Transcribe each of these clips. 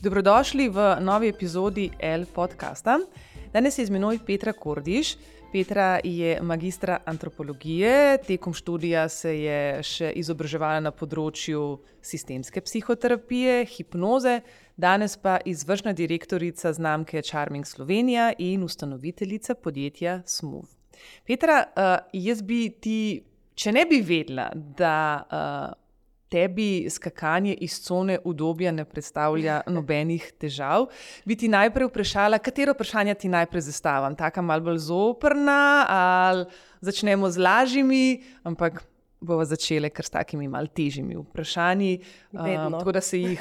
Dobrodošli v novi epizodi L podcasta. Danes je z menoj Petra Kordiš. Petra je magistra antropologije, tekom študija se je še izobraževala na področju sistemske psihoterapije, hipnoze, danes pa izvršna direktorica znamke Charming Slovenija in ustanoviteljica podjetja Smooth. Petra, jaz bi ti, če ne bi vedela, da tebi skakanje iz cone udobja ne predstavlja nobenih težav, bi ti najprej vprašala, katero vprašanje ti najprej zastavim. Taka malo bolj zoprna ali začnemo z lažjimi, ampak bova začele kar s takimi malo težjimi vprašanji, tako da se jih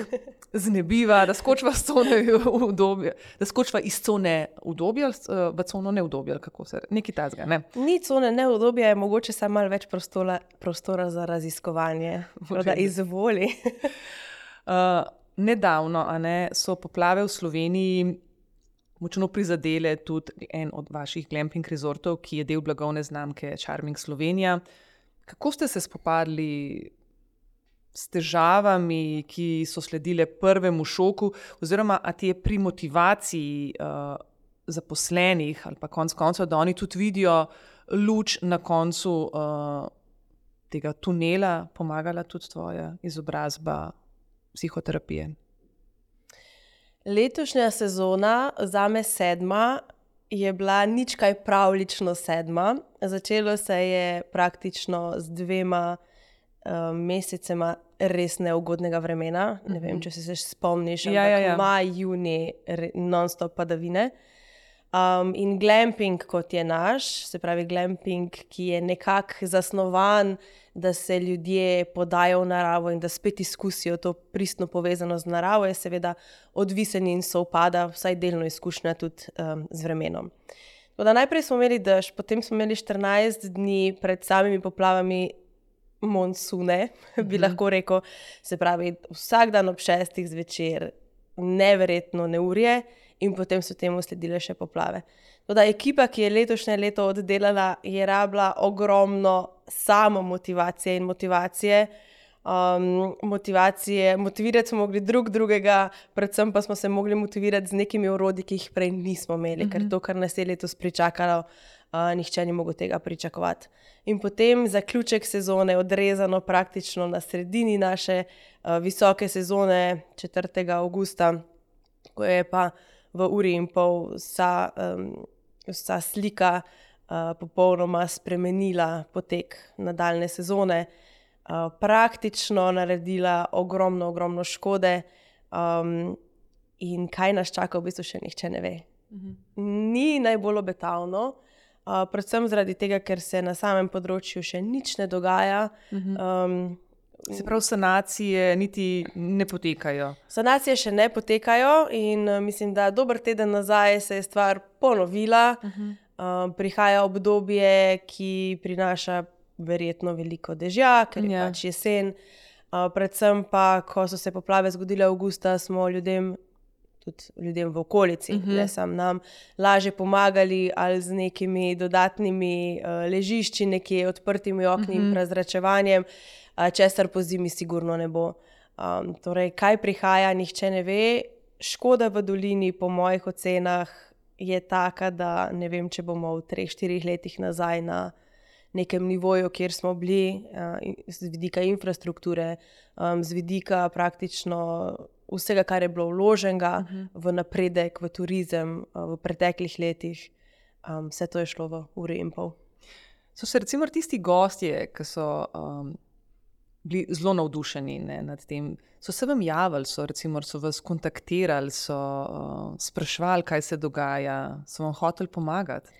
znebiva, da skočiva iz cone udobja, da skočiva iz cone udobja v cono neudobja, kako se nekaj takega, ne? Ni cone neudobja, je mogoče samo malo več prostora za raziskovanje, da izvoli. Nedavno, so poplave v Sloveniji močno prizadele tudi en od vaših glamping resortov, ki je del blagovne znamke Charming Slovenija. Kako ste se spopadli s težavami, ki so sledile prvemu šoku, oziroma a ti je pri motivaciji zaposlenih ali pa konec koncev, da oni tudi vidijo luč na koncu tega tunela, pomagala tudi tvoja izobrazba psihoterapije? Letošnja sezona, zame 7., je bila nič kaj pravlično 7. Začelo se je praktično z 2 mesecema res neugodnega vremena. Ne vem, če se spomniš, ampak maj, junij, non-stop padavine. In glamping, kot je naš, se pravi glamping, ki je nekako zasnovan, da se ljudje podajo v naravo in da spet izkusijo to pristno povezano z naravo, je seveda odvisen in sovpada, vsaj delno izkušnja tudi z vremenom. Tako da najprej smo imeli dež, potem smo imeli 14 dni pred samimi poplavami monsune, bi lahko rekel. Se pravi, vsak dan ob 6 zvečer neverjetno neurje in potem so temu sledile še poplave. Tako da ekipa, ki je letošnje leto oddelala, je rabila ogromno samo motivacije in motivacije. Motivirati smo mogli drugega, predvsem pa smo se mogli motivirati z nekimi orodji, ki jih prej nismo imeli, ker to, kar nas je letos pričakalo, nihče ni mogel tega pričakovati. In potem zaključek sezone, odrezano praktično na sredini naše visoke sezone, 4. avgusta, ko je pa v uri in pol vsa slika popolnoma spremenila potek nadaljne sezone, praktično naredila ogromno škode, in kaj nas čaka, v bistvu še nihče ne ve. Ni najbolj obetavno, predvsem zaradi tega, ker se na samem področju še nič ne dogaja. Se pravi, sanacije niti ne potekajo. Sanacije še ne potekajo in mislim, da dober teden nazaj se je stvar ponovila. Prihaja obdobje, ki prinaša verjetno veliko dežja, ker je pač jesen. Predvsem pa, ko so se poplave zgodile avgusta, smo tudi ljudem v okolici, ne samo nam, lažje pomagali ali z nekimi dodatnimi ležišči, nekje odprtimi okni in prezračevanjem, česar po zimi sigurno ne bo. Torej, kaj prihaja, nihče ne ve. Škoda v dolini po mojih ocenah je taka, da ne vem, če bomo v 3-4 letih nazaj na nekem nivoju, kjer smo bili, z vidika infrastrukture, z vidika praktično vsega, kar je bilo vloženega v napredek, v turizem, v preteklih letih. Vse to je šlo v uri in pol. So se recimo tisti gostje, ki so bili zelo navdušeni nad tem, so se vam javili, so vas kontaktirali, so spraševali, kaj se dogaja, so vam hoteli pomagati?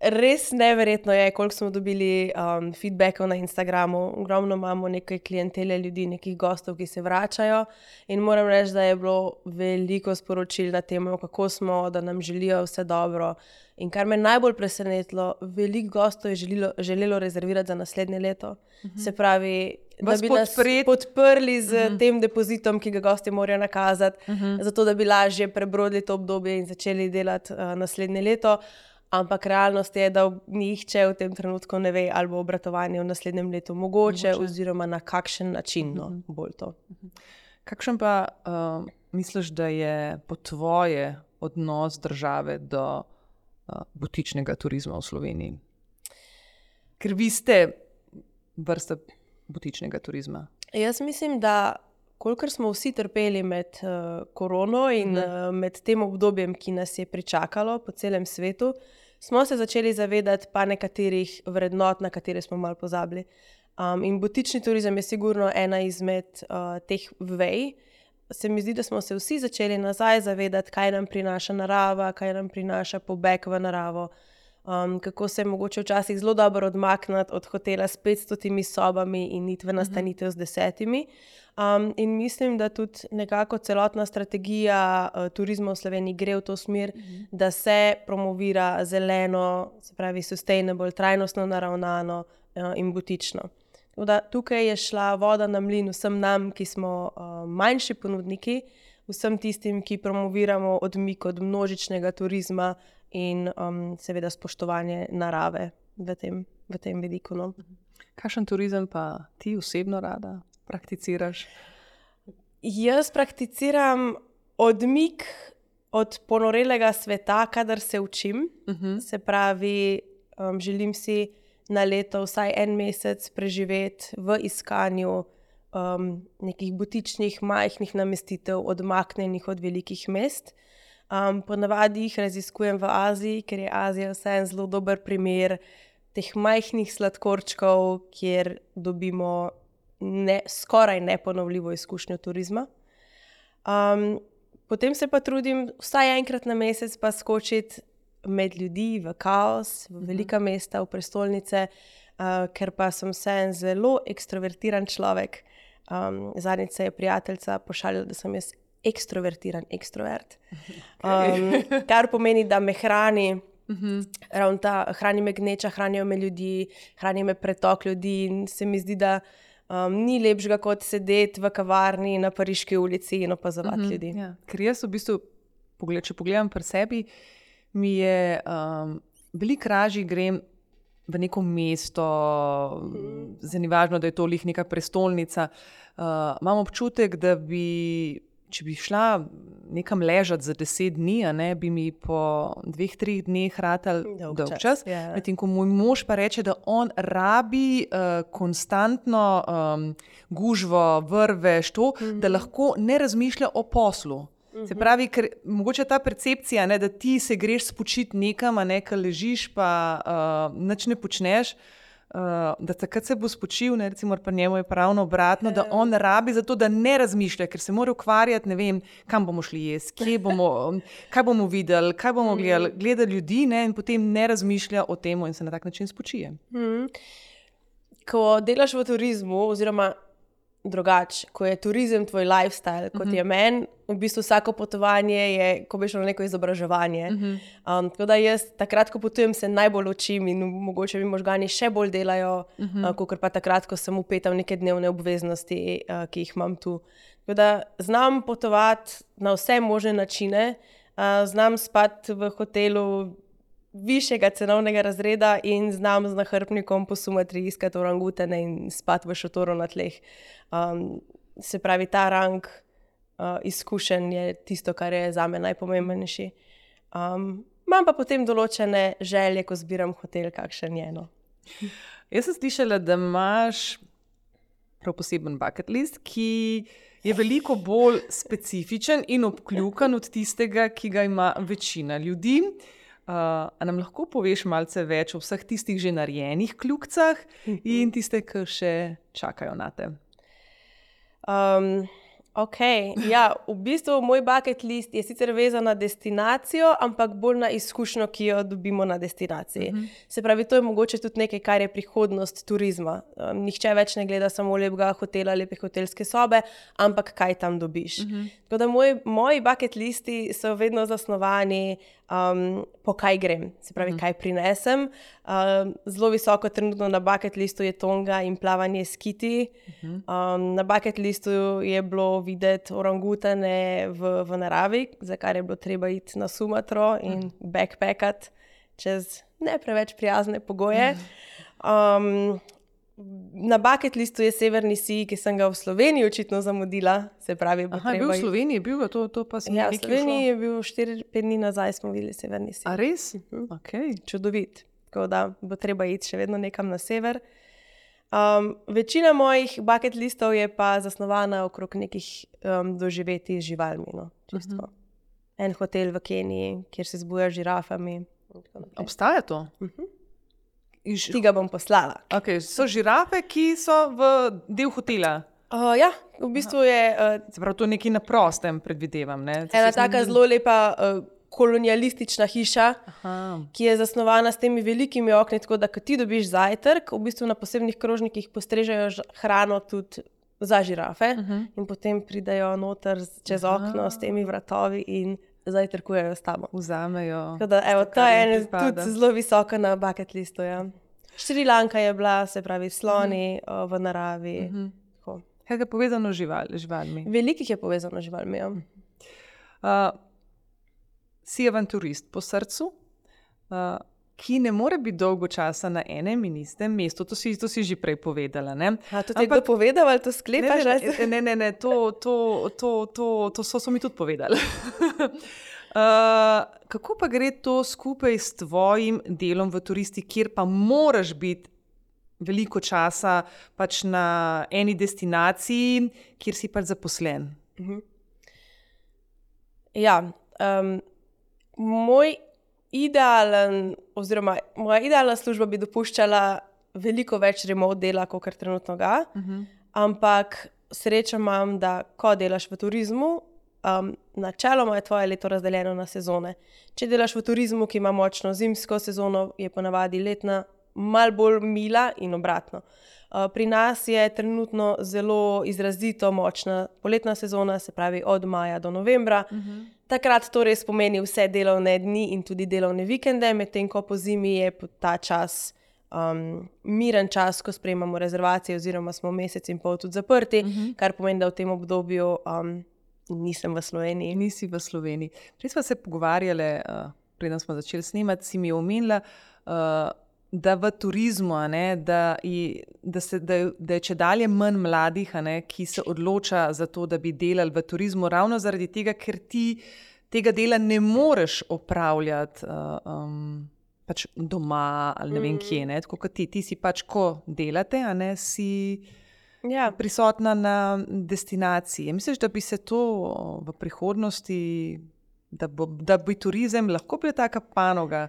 Res neverjetno je, koliko smo dobili feedbackov na Instagramu. Ogromno imamo nekaj klientele ljudi, nekih gostov, ki se vračajo, in moram reči, da je bilo veliko sporočil na temo, kako smo, da nam želijo vse dobro. In kar me najbolj presenetilo, veliko gostov je želelo rezervirati za naslednje leto. Se pravi, da bi nas podprli z tem depozitom, ki ga gostje morajo nakazati, zato da bi lažje prebrodili to obdobje in začeli delati naslednje leto. Ampak realnost je, da nihče v tem trenutku ne ve, ali bo obratovanje v naslednjem letu mogoče. Oziroma na kakšen način bolj to. Kakšen pa misliš, da je po tvoje odnos države do butičnega turizma v Sloveniji? Ker vi ste vrsta butičnega turizma. Jaz mislim, da kolikor smo vsi trpeli med korono in med tem obdobjem, ki nas je pričakalo po celem svetu, smo se začeli zavedati pa nekaterih vrednot, na katere smo malo pozabili. In butični turizem je sigurno ena izmed teh vej. Se mi zdi, da smo se vsi začeli nazaj zavedati, kaj nam prinaša narava, kaj nam prinaša pobeg v naravo, kako se je mogoče včasih zelo dobro odmakniti od hotela s 500 sobami in iti v nastanitev z 10. In mislim, da tudi nekako celotna strategija turizma v Sloveniji gre v to smer, da se promovira zeleno, se pravi sustainable, trajnostno naravnano in butično. Tukaj je šla voda na mlin vsem nam, ki smo manjši ponudniki, vsem tistim, ki promoviramo odmik od množičnega turizma in seveda spoštovanje narave v tem vidiku. No. Kakšen turizem pa ti osebno rada prakticiraš? Jaz prakticiram odmik od ponorelega sveta, kadar se učim. Se pravi, želim si na leto vsaj en mesec preživeti v iskanju nekih butičnih, majhnih namestitev, odmaknjenih od velikih mest. Ponavadi jih raziskujem v Aziji, ker je Azija vseeno zelo dober primer teh majhnih sladkorčkov, kjer dobimo skoraj neponovljivo izkušnjo turizma. Potem se pa trudim vsaj enkrat na mesec pa skočiti med ljudi, v kaos, v velika mesta, v prestolnice, ker pa sem vseeno zelo ekstrovertiran človek. Zadnjič se je prijateljica pošalila, da sem jaz ekstrovertiran ekstrovert. Kar pomeni, da me hrani, hrani me gneča, hranijo me ljudi, hrani me pretok ljudi in se mi zdi, da ni lepšega kot sedeti v kavarni na Pariški ulici in opazovati ljudi. Ja. Ker jaz v bistvu, če pogledam pri sebi, mi je veliko ražji grem v neko mesto, zdaj ni važno, da je to lih neka prestolnica. Imam občutek, da bi, če bi šla nekam ležati za 10 dni, bi mi po 2-3 dneh ratal dolg čas. Medtem ko moj mož pa reče, da on rabi konstantno gužvo, vrvež, da lahko ne razmišlja o poslu. Se pravi, ker mogoče ta percepcija, da ti se greš spočiti nekam, ker ležiš pa nič ne počneš, da takrat se bo spočil, recimo pa njemu je pravno obratno, da on rabi za to, da ne razmišlja, ker se mora ukvarjati, ne vem, kam bomo šli jesti, kaj bomo videli, kaj bomo gledali, gleda ljudi in potem ne razmišlja o tem in se na tak način spočije. Ko delaš v turizmu, oziroma drugače, ko je turizem tvoj lifestyle, kot je meni, v bistvu vsako potovanje je, ko bi šlo na neko izobraževanje. Tako da jaz takrat, ko potujem, se najbolj učim in mogoče mi možgani še bolj delajo, kakor pa takrat, ko sem vpeta v neke dnevne obveznosti, ki jih imam tu. Tako da znam potovati na vse možne načine, znam spati v hotelu višjega cenovnega razreda in znam z nahrbtnikom po Sumatri iskati orangutane in spati v šotoru na tleh. Se pravi, ta rang izkušenj je tisto, kar je zame najpomembnejši. Imam pa potem določene želje, ko zbiram hotel, kakšen je. No. Jaz sem slišala, da imaš prav poseben bucket list, ki je veliko bolj specifičen in obkljukan od tistega, ki ga ima večina ljudi. A nam lahko poveš malce več o vseh tistih že narejenih kljukcah in tiste, ki še čakajo na te? Ja, v bistvu moj bucket list je sicer vezan na destinacijo, ampak bolj na izkušnjo, ki jo dobimo na destinaciji. Se pravi, to je mogoče tudi nekaj, kar je prihodnost turizma. Nihče več ne gleda samo lepega hotela, lepe hotelske sobe, ampak kaj tam dobiš. Tako da moji bucket listi so vedno zasnovani po kaj grem, se pravi, kaj prinesem. Zelo visoko trenutno na bucket listu je Tonga in plavanje s kiti. Na bucket listu je bilo videti orangutane v naravi, za kar je bilo treba iti na Sumatro in backpackati čez ne preveč prijazne pogoje. Na bucket listu je Severni sij, ki sem ga v Sloveniji očitno zamudila. Se pravi, Aha, je bil v Sloveniji, to pa sem Ja, v nekaj Sloveniji je bil 4-5 dni nazaj, smo videli Severni sij. A res? Okay. Čudovit. Tako da bo treba iti še vedno nekam na sever. Večina mojih bucket listov je pa zasnovana okrog nekih doživetij z živalmi. No, En hotel v Keniji, kjer se zbuja z žirafami. Obstaja to? Ti ga bom poslala. Okay, so žirafe, ki so v del hotela? Ja, v bistvu je... Se pravi, to nekaj na prostem predvidevam, ne? Ena taka zelo lepa kolonialistična hiša, ki je zasnovana s temi velikimi okni, tako da, ko ti dobiš zajtrk, v bistvu na posebnih krožnikih postrežejo hrano tudi za žirafe in potem pridajo noter čez okno s temi vratovi in zajtrkujejo s tabo. Vzamejo. Tako da, evo, ta je tudi zelo visoka na bucket listu, ja. Šri Lanka je bila, se pravi, sloni v naravi. Kaj je povezano z živalmi? Velikih je povezano z živalmi, ja. Si avanturist po srcu, ki ne more biti dolgo časa na enem in istem mestu. To si že prej povedala, ne? To ti je kdo povedal ali to sklepaš? Ne, to so mi tudi povedali. Kako pa gre to skupaj s tvojim delom v turisti, kjer pa moraš biti veliko časa pač na eni destinaciji, kjer si pač zaposlen? Ja, moja idealna služba bi dopuščala veliko več remote dela, kot trenutno ga, ampak srečo imam, da ko delaš v turizmu, načeloma je tvoje leto razdeljeno na sezone. Če delaš v turizmu, ki ima močno zimsko sezono, je ponavadi letna malo bolj mila in obratno. Pri nas je trenutno zelo izrazito močna poletna sezona, se pravi od maja do novembra. Takrat to res pomeni vse delovne dni in tudi delovne vikende, medtem ko po zimi je ta čas miren čas, ko sprejemamo rezervacije oziroma smo mesec in pol tudi zaprti, kar pomeni, da v tem obdobju nisem v Sloveniji. Nisi v Sloveniji. Prej smo se pogovarjali, preden smo začeli snemati, si mi omenila, da v turizmu, da je čedalje manj mladih, ki se odloča za to, da bi delali v turizmu, ravno zaradi tega, ker ti tega dela ne moreš opravljati pač doma ali ne vem kje. Tako kot ti si pač, ko delate, si prisotna na destinaciji. Misliš, da bi se to v prihodnosti, da bi turizem lahko bil taka panoga,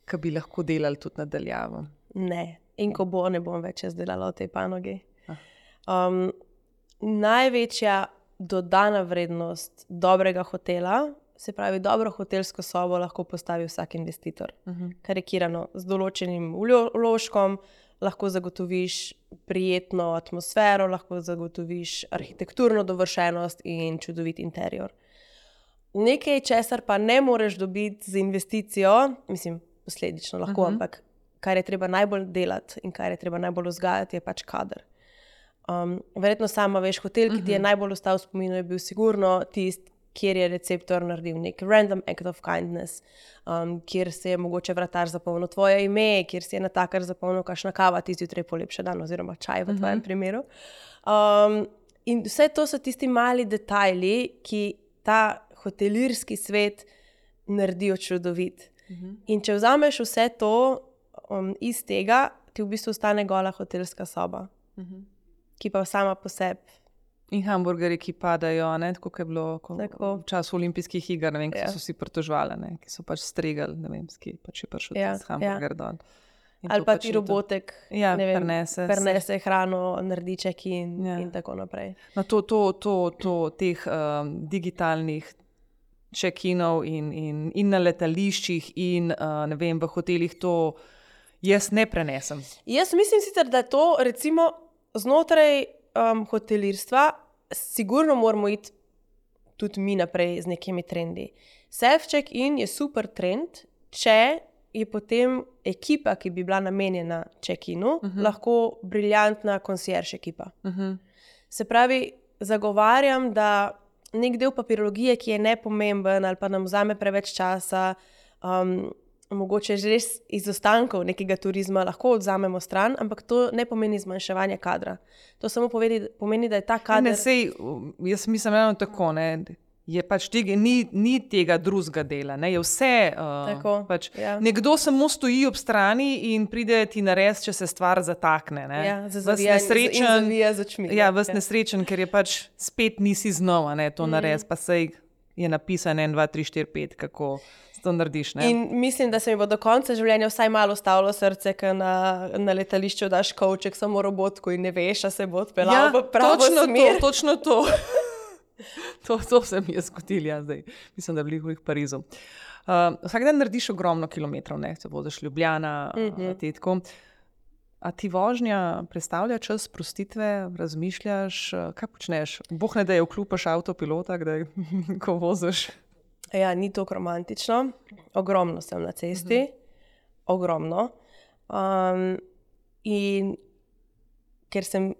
ki bi lahko delali tudi nadaljavo? Ne. In ko bo, ne bom več jaz delala v tej panogi. Največja dodana vrednost dobrega hotela, se pravi, dobro hotelsko sobo lahko postavi vsak investitor. Karikirano, z določenim vložkom lahko zagotoviš prijetno atmosfero, lahko zagotoviš arhitekturno dovršenost in čudovit interior. Nekaj, česar pa ne moreš dobiti z investicijo, mislim, posledično lahko, ampak kar je treba najbolj delati in kar je treba najbolj vzgajati, je pač kader. Verjetno sama veš, hotel, ki ti je najbolj ostal v spominu, je bil sigurno tist, kjer je receptor naredil nek random act of kindness, kjer se je mogoče vratar zapomnil tvoje ime, kjer si je natakar zapomnil kakšna kava ti zjutraj polepša dan oziroma čaj v tvojem primeru. In vse to so tisti mali detajli, ki ta hotelirski svet naredijo čudovit. In če vzameš vse to iz tega, ti v bistvu ostane gola hotelska soba, ki pa sama po sebi. In hamburgerji, ki padajo, tako kot je bilo v času olimpijskih iger, ne vem, ki so si pritožvali, ki so pač stregali, ne vem, ki pač je prišel hamburger dol. Ali pa ti robotek, ne vem, prenese hrano, naredi check-in in tako naprej. No, teh digitalnih check-inov in na letališčih in ne vem, v hotelih, to jaz ne prenesem. Jaz mislim sicer, da to recimo znotraj hotelirstva sigurno moramo iti tudi mi naprej z nekimi trendi. Self-check-in je super trend, če je potem ekipa, ki bi bila namenjena check-inu, lahko briljantna concierge ekipa. Se pravi, zagovarjam, da nek del papirologije, ki je nepomemben ali pa nam vzame preveč časa, mogoče že res iz ostankov nekega turizma lahko odzamemo stran, ampak to ne pomeni zmanjševanje kadra. To samo pomeni, da je ta kader... Jaz mislim eno tako, ne, je pač tega, ni tega drugega dela, ne, je vse, pač, nekdo samo stoji ob strani in pride ti nares, če se stvar zatakne, ne. Ja, zavija z očmi. Ja, vas nesrečen, ker je pač spet nisi znova, ne, to nares, pa sej je napisan 1, 2, 3, 4, 5, kako to narediš, ne. In mislim, da se mi bo do konca življenja vsaj malo stavilo srce, ker na letališču daš kovček samo robotku in ne veš, a se bo odpeljal v pravo smer. Točno to. To se mi je zgodilo, ja, zdaj. Mislim, da je bilo v Parizu. Vsak dan narediš ogromno kilometrov, ne, se voziš Ljubljana, tetko. A ti vožnja predstavlja čas sprostitve, razmišljaš, kaj počneš? Bog ne da je vklupaš avtopilota, kdaj, ko voziš? Ja, ni to romantično. Ogromno sem na cesti. Ogromno. In ker sem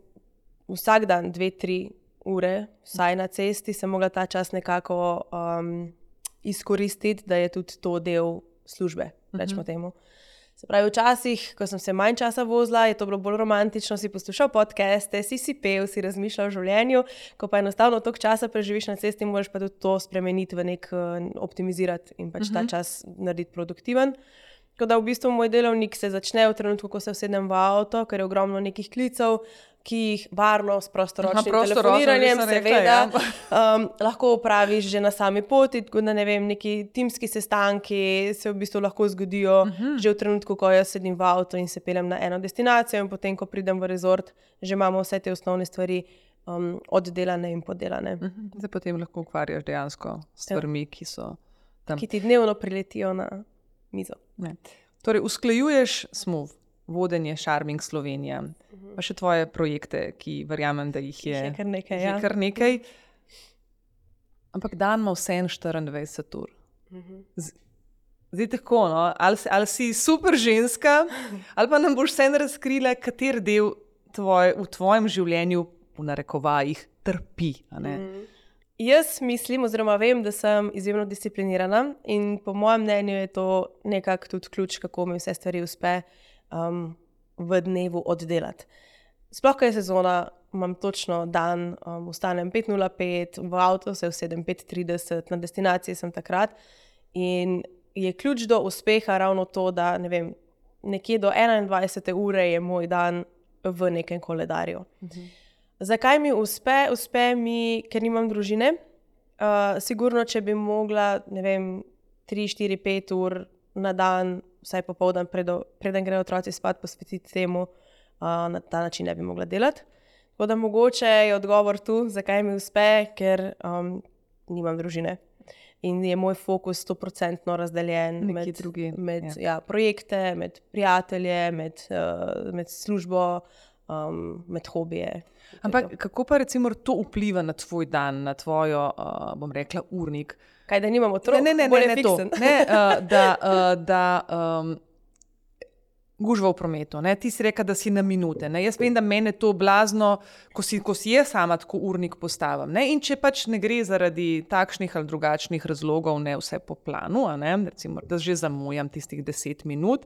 vsak dan 2-3 ure vsaj na cesti, sem mogla ta čas nekako izkoristiti, da je tudi to del službe, rečemo temu. Se pravi, včasih, ko sem se manj časa vozila, je to bilo bolj romantično, si poslušal podcaste, si pel, si razmišljal o življenju, ko pa enostavno toliko časa preživiš na cesti, moraš pa tudi to spremeniti v nek optimizirati in pač ta čas narediti produktiven. Tako da v bistvu moj delovnik se začne v trenutku, ko se usedem v avto, ker je ogromno nekih klicev, ki jih varno s prostoročnim telefoniranjem seveda lahko opraviš že na sami poti, tako da ne vem, neki timski sestanki se v bistvu lahko zgodijo že v trenutku, ko jaz sedim v avto in se peljem na eno destinacijo in potem, ko pridem v rezort, že imamo vse te osnovne stvari oddelane in podelane. Zdaj potem lahko ukvarjaš dejansko stvarmi, ki so tam. Ki ti dnevno priletijo na mizo. Ne. Torej, usklajuješ SMOV, vodenje Charming Slovenija, pa še tvoje projekte, ki verjamem, da jih je kar nekaj. Ampak dan ima vseeno 24 ur. Zdaj tako, no? Ali si super ženska, ali pa nam boš vseeno razkrila, kater del v tvojem življenju v narekovajih trpi, a ne? Jaz mislim, oziroma vem, da sem izjemno disciplinirana in po mojem mnenju je to nekako tudi ključ, kako mi vse stvari uspe v dnevu oddelati. Sploh, ko je sezona, imam točno dan, vstanem 5:05, v avto se usedem 5:30, na destinaciji sem takrat in je ključ do uspeha ravno to, da ne vem, nekje do 21. ure je moj dan v nekem koledarju. Zakaj mi uspe? Uspe mi, ker nimam družine. Sigurno, če bi mogla, ne vem, 3, 4, 5 ur na dan, vsaj popoldan, preden grejo otroci spat, posvetiti temu, na ta način ne bi mogla delati. Tako da mogoče je odgovor tu, zakaj mi uspe, ker nimam družine. In je moj fokus 100% razdeljen med projekte, med prijatelje, med službo, med hobije. Ampak kako pa recimo to vpliva na tvoj dan, na tvojo, bom rekla, urnik? Kaj, da nimamo otrok? Ne to. Da gužva v prometu. Ne? Ti si reka, da si na minute. Ne? Jaz vem, da mene to blazno, ko si jaz sama tako urnik postavim. Ne? In če pač ne gre zaradi takšnih ali drugačnih razlogov, ne vse po planu, recimo, da že zamujam tistih 10 minut,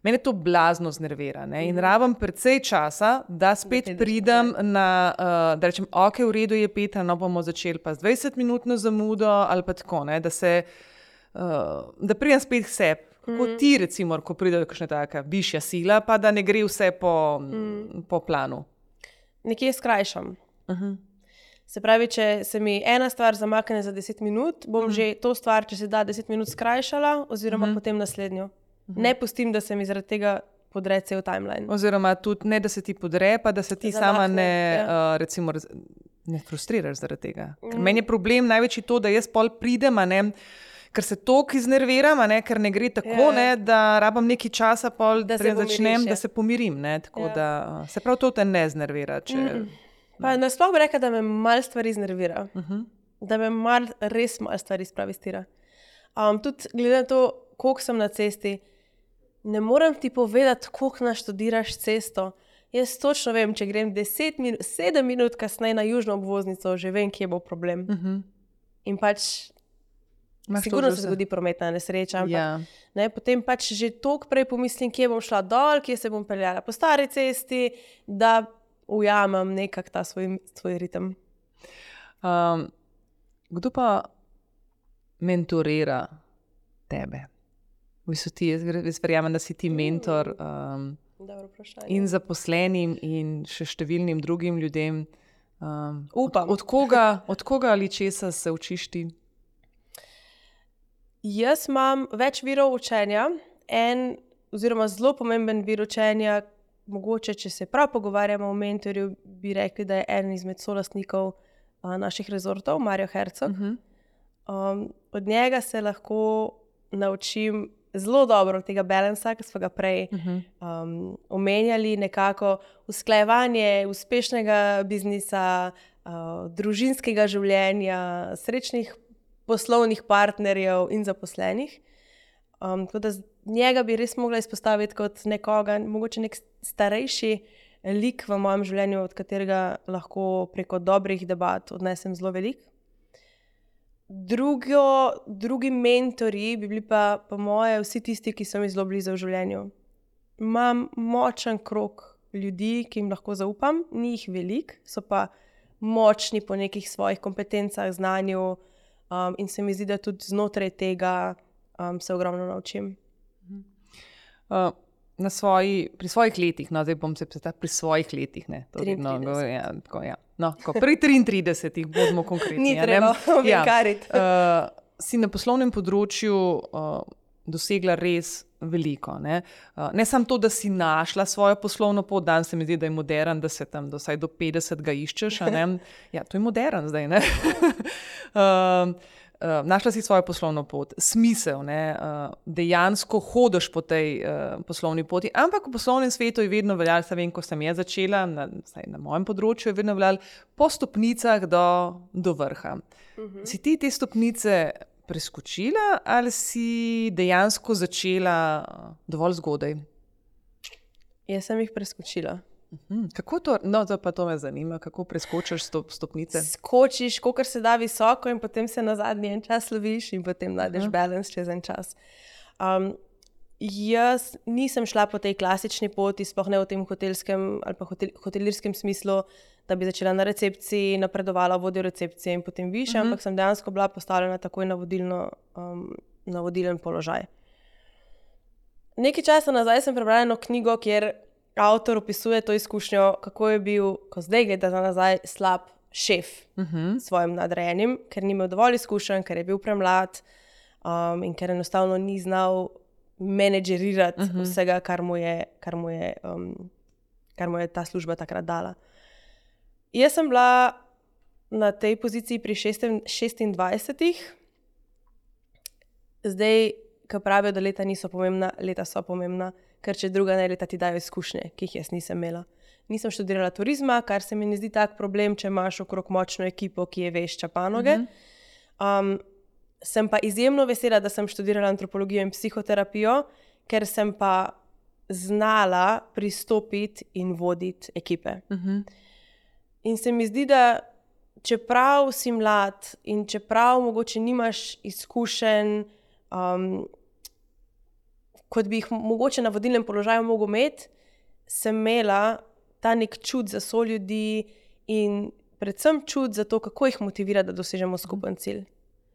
mene to blazno znervira, ne? In rabim precej časa, da spet pridem na, da rečem, ok, v redu je Petra, no bomo začeli pa z 20-minutno zamudo ali pa tako, ne? Da pridem spet k sebi. Kako ti recimo, ko pride kakšna taka višja sila, pa da ne gre vse po planu? Nekje skrajšam. Se pravi, če se mi ena stvar zamakne za 10 minut, bom že to stvar, če se da 10 minut skrajšala, oziroma potem naslednjo. Ne pustim, da se mi zaradi tega podre cel timeline. Oziroma tudi ne, da se ti podre, pa da se ti sama recimo, ne frustriraš zaradi tega. Ker meni je problem največji to, da jaz pol pridem, ker se toliko iznerviram, ker ne gre tako, da rabam nekaj časa pol, da se pomirim. Tako da se prav to te ne znervira. Pa nasploh bi rekla, da me malo stvari znervira. Da me res malo stvari spravistira. Tudi glede na to, koliko sem na cesti, ne morem ti povedati, koliko naštudiraš cesto. Jaz točno vem, če grem 7 minut kasneje na južno obvoznico, že vem, kje bo problem. In pač Sigurno se zgodi prometna nesreča, ampak Ja. potem pač že toliko prej pomislim, kje bom šla dol, kje se bom peljala po stari cesti, da ujamem nekak ta svoj ritem. Kdo pa mentorira tebe? V bistvu jaz verjamem, da si ti mentor Dobro vprašanje. in zaposlenim in še številnim drugim ljudem. Upam. Od koga ali česa se učiš ti? Jaz imam več virov učenja. Oziroma zelo pomemben vir učenja, mogoče, če se prav pogovarjamo o mentorju, bi rekli, da je eden izmed solastnikov naših rezortov, Mario Herzog. Od njega se lahko naučim zelo dobro tega balansa, ki smo ga prej omenjali, nekako usklajevanje uspešnega biznisa, družinskega življenja, srečnih poslovnih partnerjev in zaposlenih. Tako da njega bi res mogla izpostaviti kot nekoga, mogoče nek starejši lik v mojem življenju, od katerega lahko preko dobrih debat odnesem zelo veliko. Drugi mentorji bi bili pa po moje vsi tisti, ki so mi zelo blizu v življenju. Imam močen krog ljudi, ki jim lahko zaupam, ni jih veliko, so pa močni po nekih svojih kompetencah, znanju, in se mi zdi, da tudi znotraj tega se ogromno naučim. Pri svojih letih, no, zdaj bom se pri svojih letih, ne, to vedno govorim, ja, tako, ja. No, pri 33 bodimo konkretni. Ni treba ovinkariti. Si na poslovnem področju dosegla res veliko, ne. Ne samo to, da si našla svojo poslovno pot, danes se mi zdi, da je modern, da se tam vsaj do 50 ga iščeš, a ne. Ja, to je modern zdaj, ne. Našla si svojo poslovno pot, smisel, ne, dejansko hodiš po tej poslovni poti, ampak v poslovnem svetu je vedno veljalo, vem, ko sem jaz začela, na mojem področju je vedno veljalo, po stopnicah do vrha. Si ti te stopnice preskočila ali si dejansko začela dovolj zgodaj? Jaz sem jih preskočila. Kako to, no, pa to me zanima, kako preskočiš stopnice? Skočiš, kolikor se da visoko in potem se na zadnji en čas loviš in potem najdeš balans čez en čas. Jaz nisem šla po tej klasični poti, sploh ne v tem hotelskem ali pa hotelirskem smislu, da bi začela na recepciji, napredovala vodjo recepcije in potem više, ampak sem dejansko bila postavljena takoj na vodilen položaj. Nekaj časa nazaj sem prebrala eno knjigo, kjer avtor opisuje to izkušnjo, kako je bil, ko zdaj gleda nazaj, slab šef svojim nadrejenim, ker ni imel dovolj izkušenj, ker je bil premlad in ker enostavno ni znal menedžerirati vsega, kar mu je ta služba takrat dala. Jaz sem bila na tej poziciji pri 26. Zdaj, ko pravijo, da leta niso pomembna, leta so pomembna, ker če druga ne, leta ti dajo izkušnje, ki jih jaz nisem imela. Nisem študirala turizma, kar se mi ne zdi tak problem, če imaš okrog močno ekipo, ki je vešča panoge. Sem pa izjemno vesela, da sem študirala antropologijo in psihoterapijo, ker sem pa znala pristopiti in voditi ekipe. In se mi zdi, da čeprav si mlad in čeprav mogoče nimaš izkušenj, kot bi jih mogoče na vodilnem položaju mogel imeti, sem imela ta nek čut za soljudi in predvsem čut za to, kako jih motivira, da dosežemo skupen cilj.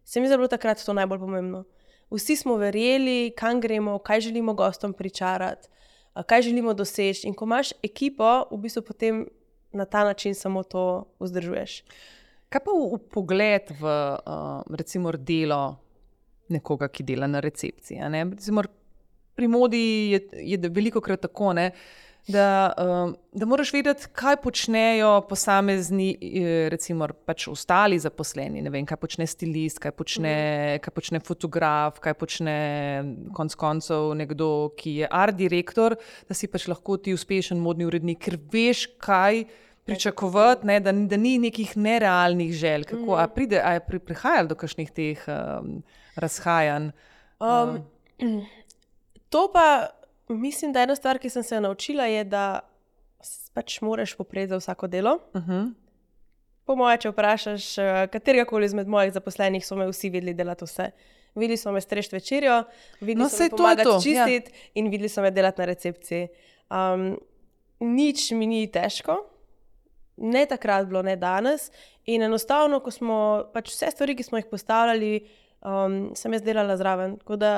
Se mi je bilo takrat to najbolj pomembno. Vsi smo verjeli, kam gremo, kaj želimo gostom pričarati, kaj želimo doseči. In ko imaš ekipo, v bistvu potem na ta način samo to vzdržuješ. Kaj pa v pogled v recimo delo nekoga, ki dela na recepciji? A ne? Recimo, pri modi je velikokrat tako, ne, da moraš vedeti, kaj počnejo posamezni, recimo pač ostali zaposleni. Ne vem, kaj počne stilist, kaj počne fotograf, kaj počne konec koncev nekdo, ki je art direktor, da si pač lahko ti uspešen modni urednik, ker veš, kaj pričakovati, ne, da ni nekih nerealnih želj. Kako, a je prihajalo do kakšnih teh razhajanj? To pa mislim, da ena stvar, ki sem se naučila, je, da pač moraš popreti za vsako delo. Po moje, če vprašaš katerega koli izmed mojih zaposlenih, so me vsi vedeli delati vse. videli so me strežiti večerjo, videli No, so saj me to je pomagati to, čistiti in videli so me delati na recepciji. Nič mi ni težko, ne takrat bilo, ne danes. In enostavno, ko smo pač vse stvari, ki smo jih postavljali, sem jaz delala zraven. Tako da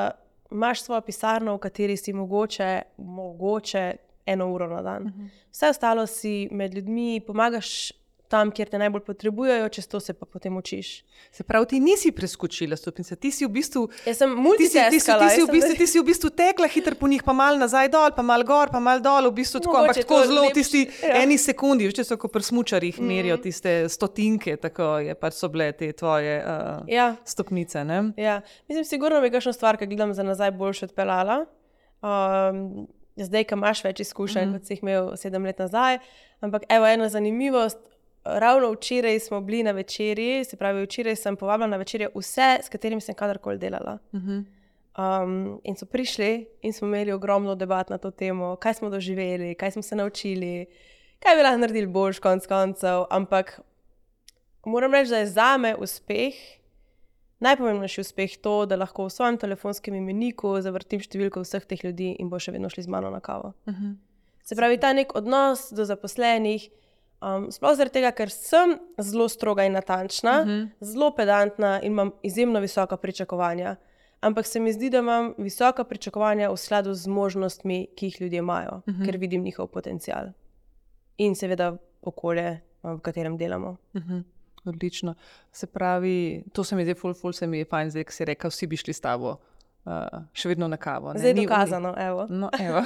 imaš svojo pisarno, v kateri si mogoče 1 uro na dan. Vse ostalo si med ljudmi, pomagaš tam, kjer te najbolj potrebujejo, čez to se pa potem učiš. Se pravi, ti nisi preskočila stopnice, ti si v bistvu... Jaz sem multitaskala. Ti si v bistvu tekla hitro po njih, pa malo nazaj dol, pa malo gor, pa malo dol, v bistvu tako, ampak tako zelo v tisti eni sekundi, veš, so ko pri smučarjih merijo tiste stotinke, tako je, pač so bile te tvoje stopnice, ne? Ja, mislim, sigurno bi kakšno stvar, ki gledam za nazaj, boljše odpeljala. Zdaj, ko imaš več izkušenj, kot si jih imel 7 let nazaj, ampak evo, ena zanimivost, ravno včeraj smo bili na večerji, se pravi, včeraj sem povabila na večerjo vse, s katerimi sem kadarkoli delala. In so prišli in smo imeli ogromno debat na to temo, kaj smo doživeli, kaj smo se naučili, kaj bi lahko naredili boljš konc koncev, ampak moram reči, da je zame uspeh, najpomembnejši uspeh to, da lahko v svojem telefonskem imeniku zavrtim številko vseh teh ljudi in bo še vedno šli z mano na kavo. Se pravi, ta nek odnos do zaposlenih, sploh zaradi tega, ker sem zelo stroga in natančna, zelo pedantna in imam izjemno visoka pričakovanja. Ampak se mi zdi, da imam visoka pričakovanja v skladu z možnostmi, ki jih ljudje imajo, ker vidim njihov potencial. In seveda okolje, v katerem delamo. Odlično. Se pravi, to se mi zdaj ful se mi je fajn, zdaj, ko si rekel, vsi bi šli s tabo še vedno na kavo. Ne? Zdaj je dokazano, evo. No, evo.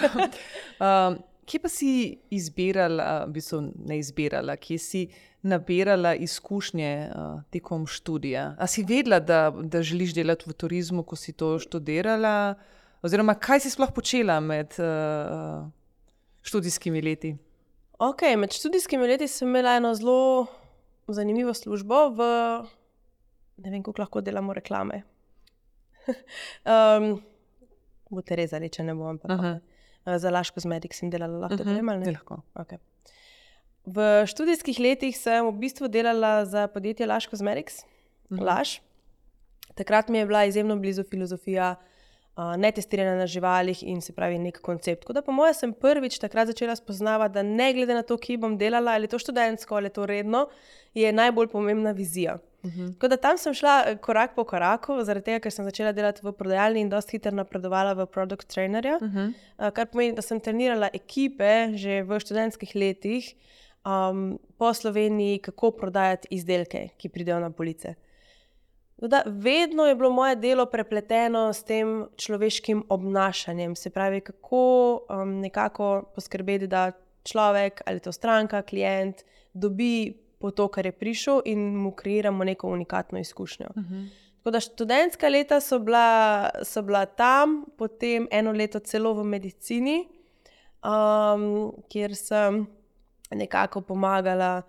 Kje pa si izbirala, v bistvu ne izbirala, kje si nabirala izkušnje tekom študija? A si vedela, da želiš delati v turizmu, ko si to študirala? Oziroma, kaj si sploh počela med študijskimi leti? Ok, med študijskimi leti sem imela eno zelo zanimivo službo ne vem, koliko lahko delamo reklame. Boste rezali, če ne bo, ampak za Lash Cosmetics sem delala, lahko povem, ali ne? Lahko. Okay. V študijskih letih sem v bistvu delala za podjetje Lash Cosmetics, Lash. Takrat mi je bila izjemno blizu filozofija netestiranja na živalih in se pravi nek koncept. Tako da po moje sem prvič takrat začela spoznavati, da ne glede na to, kje bom delala, ali to študentsko, ali to redno, je najbolj pomembna vizija. Tako da tam sem šla korak po koraku, zaradi tega, ker sem začela delati v prodajalni in dosti hitro napredovala v product trainerja, kar pomeni, da sem trenirala ekipe že v študentskih letih po Sloveniji, kako prodajati izdelke, ki pridejo na police. Da, vedno je bilo moje delo prepleteno s tem človeškim obnašanjem, se pravi, kako nekako poskrbeti, da človek ali to stranka, klient dobi po to, kar je prišel in mu kreiramo neko unikatno izkušnjo. Tako da študentska leta so bila tam, potem 1 leto celo v medicini, kjer sem nekako pomagala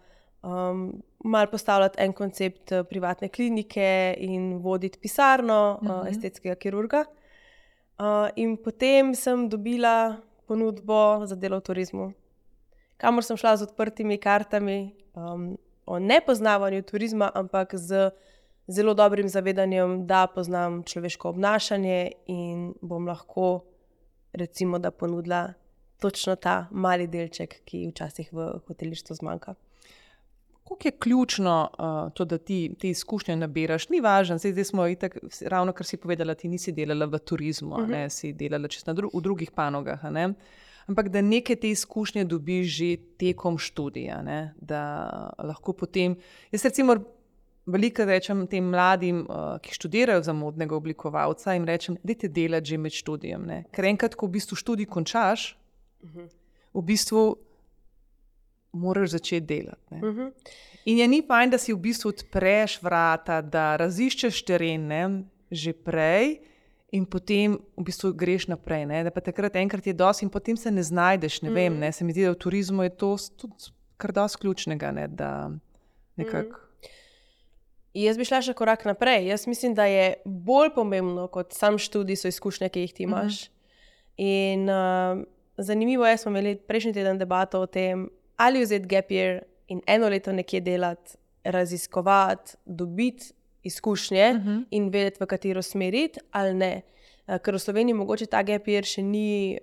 malo postavljati en koncept privatne klinike in voditi pisarno estetskega kirurga. In potem sem dobila ponudbo za delo v turizmu, kamor sem šla z odprtimi kartami o nepoznavanju turizma, ampak z zelo dobrim zavedanjem, da poznam človeško obnašanje in bom lahko recimo, da ponudila točno ta mali delček, ki včasih v hotelištvu zmanjka. Koliko je ključno to, da ti te izkušnje nabiraš? Ni važno, zdaj smo itak, ravno kar si povedala, ti nisi delala v turizmu, ne, si delala čisto v drugih panogah, ne? Ampak da neke te izkušnje dobiš že tekom študija, ne? Da lahko potem, jaz recimo veliko rečem tem mladim, ki študirajo za modnega oblikovalca, jim rečem, dajte delati že med študijem, ne? Ker enkrat, ko v bistvu študij končaš, v bistvu moraš začeti delati. Ne? In je ni fajn, da si v bistvu odpreš vrata, da raziščeš teren, ne, že prej in potem v bistvu greš naprej. Ne? Da pa takrat enkrat je dosti in potem se ne znajdeš, ne vem, ne? Se mi zdi, da v turizmu je to tudi kar dosti ključnega, ne? Da nekako... Jaz bi šla še korak naprej. Jaz mislim, da je bolj pomembno kot sam študij so izkušnje, ki jih ti imaš. In zanimivo je, smo imeli prejšnji teden debato o tem, ali vzeti gap year in 1 leto nekje delati, raziskovati, dobiti izkušnje in vedeti, v katero smeriti ali ne. Ker v Sloveniji mogoče ta gap year še ni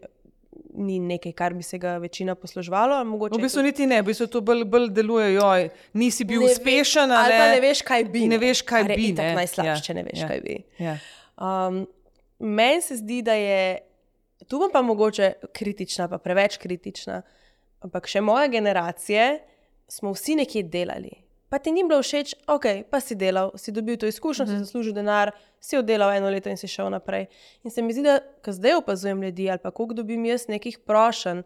nekaj, kar bi se ga večina posluževalo. V bistvu niti ne, v bistvu to bolj deluje, nisi bil uspešen. Ali pa ne veš, kaj bi. Ne veš, kaj bi. To je najslabše, če ne veš, kaj bi. Ja. Meni se zdi, da je, tu bom pa mogoče kritična, pa preveč kritična, ampak še moje generacije smo vsi nekje delali. Pa ti ni bilo všeč, ok, pa si delal, si dobil to izkušnjo, si zaslužil denar, si oddelal 1 leto in si šel naprej. In se mi zdi, da ko zdaj opazujem ljudi ali pa koliko dobim jaz nekih prošenj,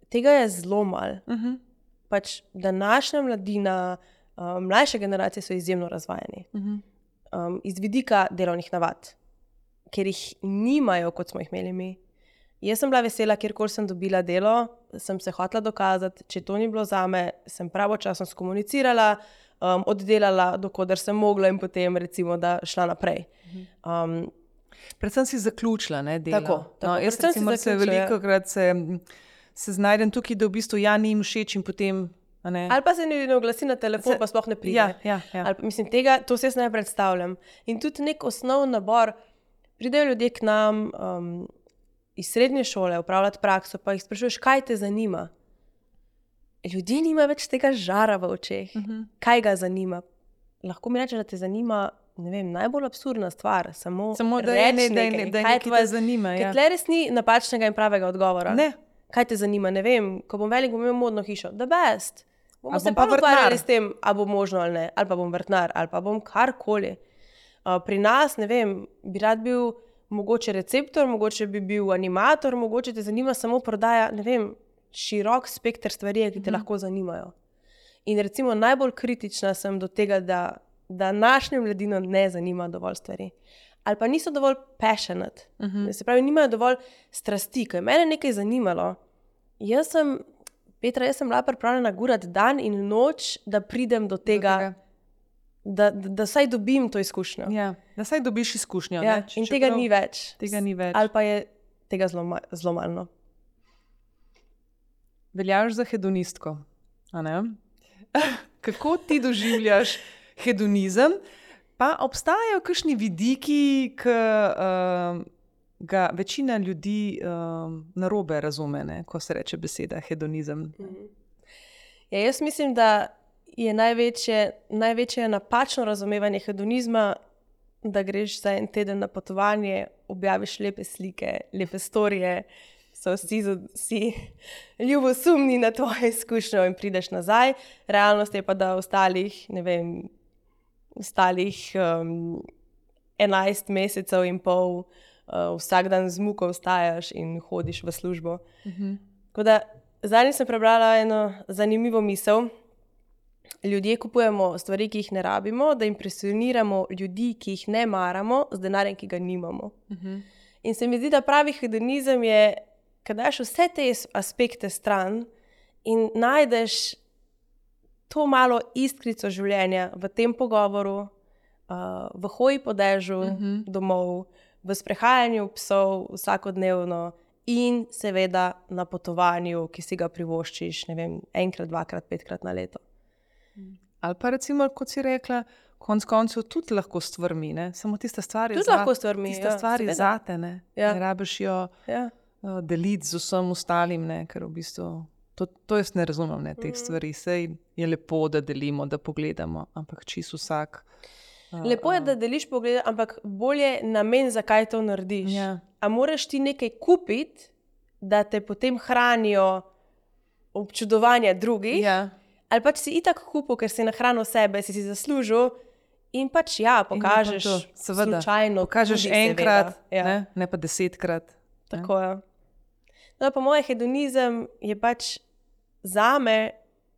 tega je zelo malo. Pač današnja mladina, mlajše generacije so izjemno razvajeni. Iz vidika delovnih navad, ker jih nimajo, kot smo jih imeli mi. Jaz sem bila vesela, kjerkoli sem dobila delo, sem se hotela dokazati, če to ni bilo zame, sem pravočasno skomunicirala, oddelala, dokoder sem mogla in potem recimo, da šla naprej. Predvsem si zaključila, ne, delo. Tako. Jaz recimo se velikokrat se znajdem tukaj, da v bistvu ni jim všeč in potem... Ali pa se ne oglasi na telefon, pa sploh ne pride. Ja. Ali, mislim, to se jaz ne predstavljam. In tudi nek osnovni nabor, pridejo ljudje k nam iz srednje šole upravljati prakso, pa jih sprašuješ, kaj te zanima. Ljudje nimajo več tega žara v očeh. Kaj ga zanima? Lahko mi reče, da te zanima, ne vem, najbolj absurdna stvar, samo da nekaj te zanima. Ker tle res ni napačnega in pravega odgovora. Ne. Kaj te zanima? Ne vem, ko bom velik, bom imel modno hišo. The best. Bomo se pa ukvarjali s tem, a bo možno ali ne, ali pa bom vrtnar, ali pa bom karkoli. Pri nas, ne vem, bi rad bil mogoče receptor, mogoče bi bil animator, mogoče te zanima samo prodaja, ne vem, širok spekter stvari, ki te lahko zanimajo. In recimo najbolj kritična sem do tega, da današnjo mladino ne zanima dovolj stvari. Ali pa niso dovolj passionate. Se pravi, nimajo dovolj strasti, ko je mene nekaj zanimalo. Jaz sem bila pripravljena gurati dan in noč, da pridem do tega. Da vsaj dobim to izkušnjo. Ja, da vsaj dobiš izkušnjo. Ja, in tega ni več. Ali pa je tega zelo malo. Veljaš za hedonistko. A ne? Kako ti doživljaš hedonizem? Pa obstajajo kakšni vidiki, ki ga večina ljudi narobe razume, ne? Ko se reče beseda hedonizem. Ja, jaz mislim, da je največje napačno razumevanje hedonizma, da greš za 1 teden na potovanje, objaviš lepe slike, lepe storije, so vsi ljubosumni na tvojo izkušnjo in prideš nazaj. Realnost je pa, da ostalih 11 mesecev in pol vsak dan z muko vstajaš in hodiš v službo. Tako da zadnjič sem prebrala eno zanimivo misel. Ljudje kupujemo stvari, ki jih ne rabimo, da impresioniramo ljudi, ki jih ne maramo, z denarjem, ki ga nimamo. In se mi zdi, da pravi hedonizem je, ko daš vse te aspekte stran in najdeš to malo iskrico življenja v tem pogovoru, v hoji po dežju domov, v sprehajanju psov vsakodnevno in seveda na potovanju, ki si ga privoščiš, ne vem, 1-krat, 2-krat, 5-krat na leto. Ali pa recimo, kot si rekla, konec koncev tudi lahko stvarmi, ne? Samo tista stvar je zate, ne? Ja. Ne rabiš jo deliti z vsem ostalim, ne? Ker v bistvu, to jaz ne razumem, ne, teh stvari. Sej je lepo, da delimo, da pogledamo, ampak čisto vsak... Lepo je, da deliš pogled, ampak bolje namen, zakaj to narediš. Ja. A moraš ti nekaj kupiti, da te potem hranijo občudovanja drugih? Ja. Ali pač si itak kupil, ker si nahranil sebe, si zaslužil in pač pokažeš slučajno. Pokažeš tudi, enkrat, ja. ne pa 10-krat. Tako je. No, pa moj hedonizem je pač zame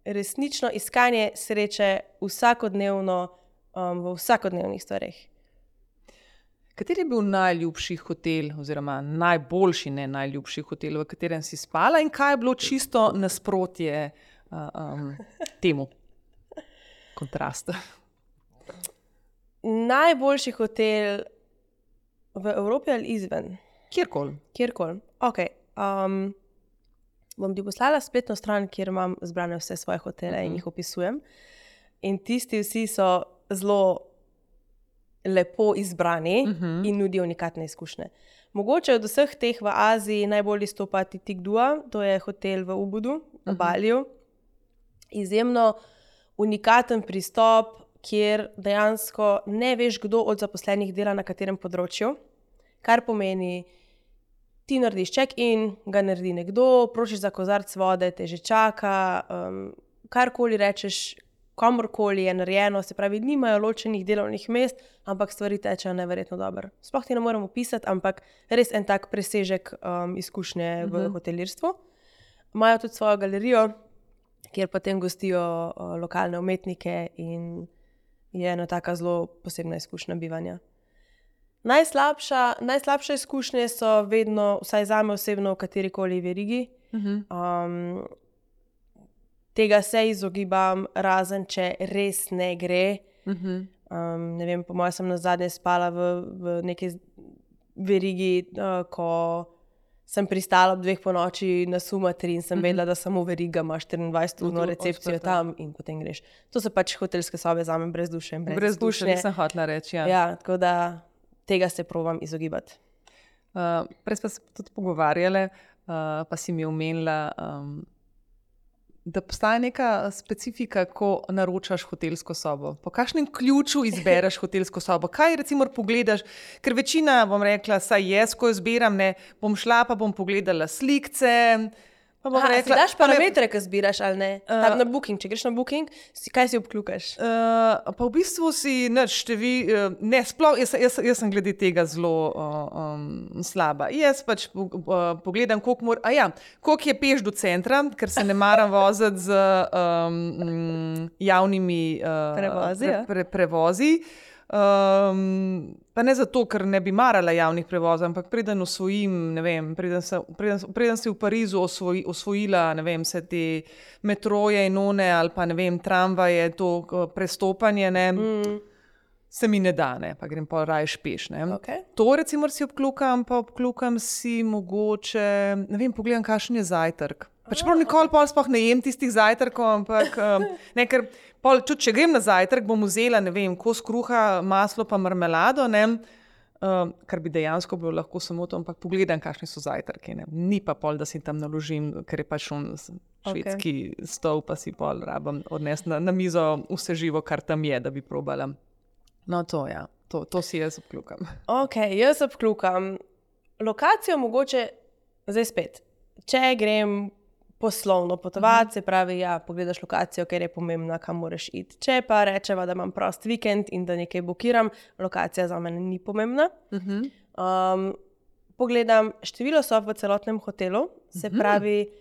resnično iskanje sreče vsakodnevno, v vsakodnevnih stvareh. Kateri je bil najljubši hotel oziroma najboljši, ne najljubši hotel, v katerem si spala in kaj je bilo čisto nasprotje temu kontrastu? Najboljši hotel v Evropi ali izven? Kjerkoli. Ok. Bom ti poslala spletno stran, kjer imam zbrane vse svoje hotele in jih opisujem. In tisti vsi so zelo lepo izbrani in nudijo unikatne izkušnje. Mogoče od vseh teh v Aziji najbolj izstopa Titik Dua, to je hotel v Ubudu, na Baliju. Izjemno unikaten pristop, kjer dejansko ne veš, kdo od zaposlenih dela na katerem področju, kar pomeni, ti narediš check-in, ga naredi nekdo, prosiš za kozarec vode, te že čaka, karkoli rečeš, komorkoli je narejeno, se pravi, nimajo ločenih delovnih mest, ampak stvari tečejo neverjetno dobro. Sploh ti ne morem opisati, ampak res en tak presežek izkušnje v hotelirstvu. Imajo tudi svojo galerijo, kjer potem gostijo lokalne umetnike in je ena taka zelo posebna izkušnja bivanja. Najslabše izkušnje so vedno, vsaj zame osebno, v katerikoli verigi. Tega se izogibam, razen če res ne gre. Ne vem, po mojem sem nazadnje spala v neki verigi, ko sem pristala ob 2 ponoči na Sumatri in sem vedela, da samo veriga ima 24-urno recepcijo tam in potem greš. To so pač hotelske sobe zame brez duše in brez duše, nisem hotela reči. Ja, tako da tega se probam izogibati. Prej smo se tudi pogovarjali, pa si mi omenila, da postaja neka specifika, ko naročaš hotelsko sobo. Po kakšnem ključu izbereš hotelsko sobo? Kaj recimo pogledaš? Ker večina, bom rekla, saj jaz, ko izbiram, ne, bom šla pa bom pogledala slikce. Pa bom rekla, si daš parametre, ki zbiraš ali ne? Tam na Booking, če greš na Booking, kaj si obkljukaš? Pa v bistvu si ne, sploh, jaz sem glede tega zelo slaba. Jaz pač pogledam, koliko je peš do centra, ker se ne maram voziti z javnimi prevozi. Pa ne zato, ker ne bi marala javnih prevozov, ampak preden osvojim, ne vem, preden si v Parizu osvojila, ne vem, vse te metroje in one, ali pa ne vem, tramvaje, to prestopanje, ne, se mi ne da, ne, pa grem pa raje peš, ne. Okay. To recimo si obklukam, pa obklukam si mogoče, ne vem, pogledam, kakšen je zajtrk. Pač prav nikoli pol sploh ne jem tistih zajtrkov, ampak ne, ker pol, tudi če grem na zajtrk, bom vzela, ne vem, kos kruha, maslo pa marmelado, ne, kar bi dejansko bilo lahko samo to, ampak pogledam, kakšni so zajtrki, ne. Ni pa pol, da si tam naložim, ker je pač švedski stol, pa si pol rabim odnesti na mizo vse živo, kar tam je, da bi probala. No, to ja, to si jaz obklukam. Ok, jaz obklukam lokacijo mogoče, zdaj spet, če grem poslovno potovati, se pravi, ja, pogledaš lokacijo, ker je pomembna, kam moraš iti. Če pa rečeva, da imam prost vikend in da nekaj bukiram, lokacija za mene ni pomembna. Pogledam število sob v celotnem hotelu, se pravi,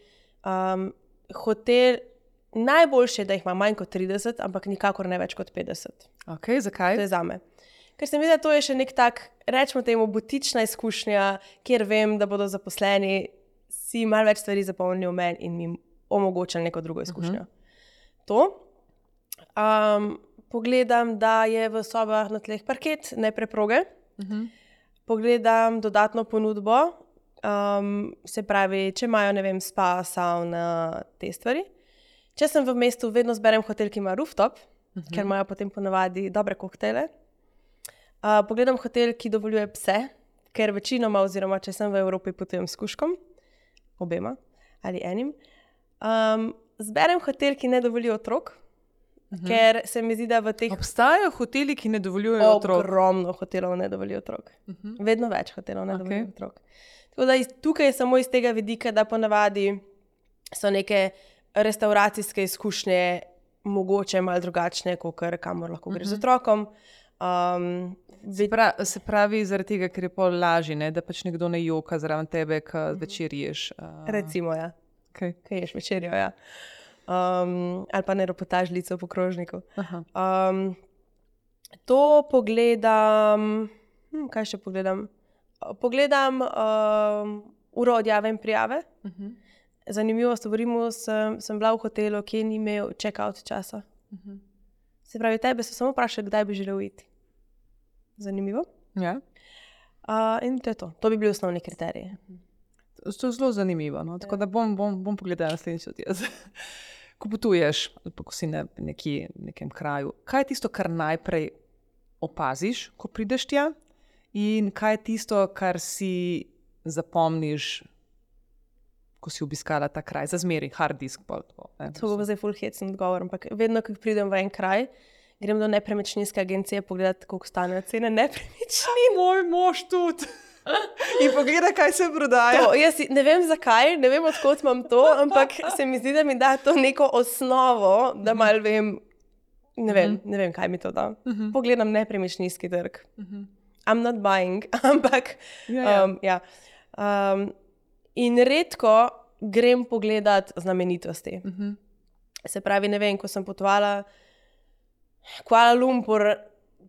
hotel najboljše, da jih ima manj kot 30, ampak nikakor ne več kot 50. Ok, zakaj? To je zame. Ker se mi zdi, da to je še nek tak, rečemo temu, butična izkušnja, kjer vem, da bodo zaposleni si malo več stvari zapomnili v meni in mi omogočili neko drugo izkušnjo. To. Pogledam, da je v sobah na tleh parket, ne preproge. Pogledam dodatno ponudbo, se pravi, če imajo, ne vem, spa, sauna, te stvari. Če sem v mestu, vedno zberem hotel, ki ima rooftop, ker imajo potem ponavadi dobre koktejle. Pogledam hotel, ki dovoljuje pse, ker večinoma, oziroma če sem v Evropi, potujem s kužkom. Obema ali enim. Zberem hotel, ki ne dovoljujo otrok, ker se mi zdi, da v teh... Obstajajo hoteli, ki ne dovoljujejo otrok? Ogromno hotelov ne dovoljujo otrok. Vedno več hotelov ne dovoljujo otrok. Tako da tukaj je samo iz tega vidika, da ponavadi so neke restauracijske izkušnje mogoče malo drugačne, kakor kamor lahko greš z otrokom. Se pravi, zaradi tega, ker je pol lažje, ne? Da pač nekdo ne joka zraven tebe, ko večer ješ. Recimo, ja. Okay. Kaj ješ večerjo, ja. Ali pa ne ropotaš lico po krožniku. To pogledam... kaj še pogledam? Pogledam uro odjave in prijave. Zanimivost, v Rimu sem bila v hotelu, ki ni imel check-out časa. Se pravi, tebe so samo vprašali, kdaj bi želel iti. Zanimivo. Ja. In to je to. To bi bili osnovni kriteriji. To je zelo zanimivo. No? Tako da bom pogledala naslednjič od jaz. Ko potuješ, ali pa ko si na nekem kraju, kaj je tisto, kar najprej opaziš, ko prideš tja, in kaj je tisto, kar si zapomniš, ko si obiskala ta kraj, za zmeraj, hard disk. To bo zdaj full hecen odgovor, ampak vedno, ko pridem v en kraj, grem do nepremičninske agencije pogledati, koliko stanejo cene nepremičnin. Moj mož tudi. In pogleda, kaj se prodaja. Jaz ne vem zakaj, ne vem odkot imam to, ampak se mi zdi, da mi da to neko osnovo, da malo vem, ne vem, kaj mi to da. Pogledam nepremičninski trg. I'm not buying, ampak ja. In redko grem pogledat znamenitosti. Se pravi, ne vem, ko sem potovala Kuala Lumpur,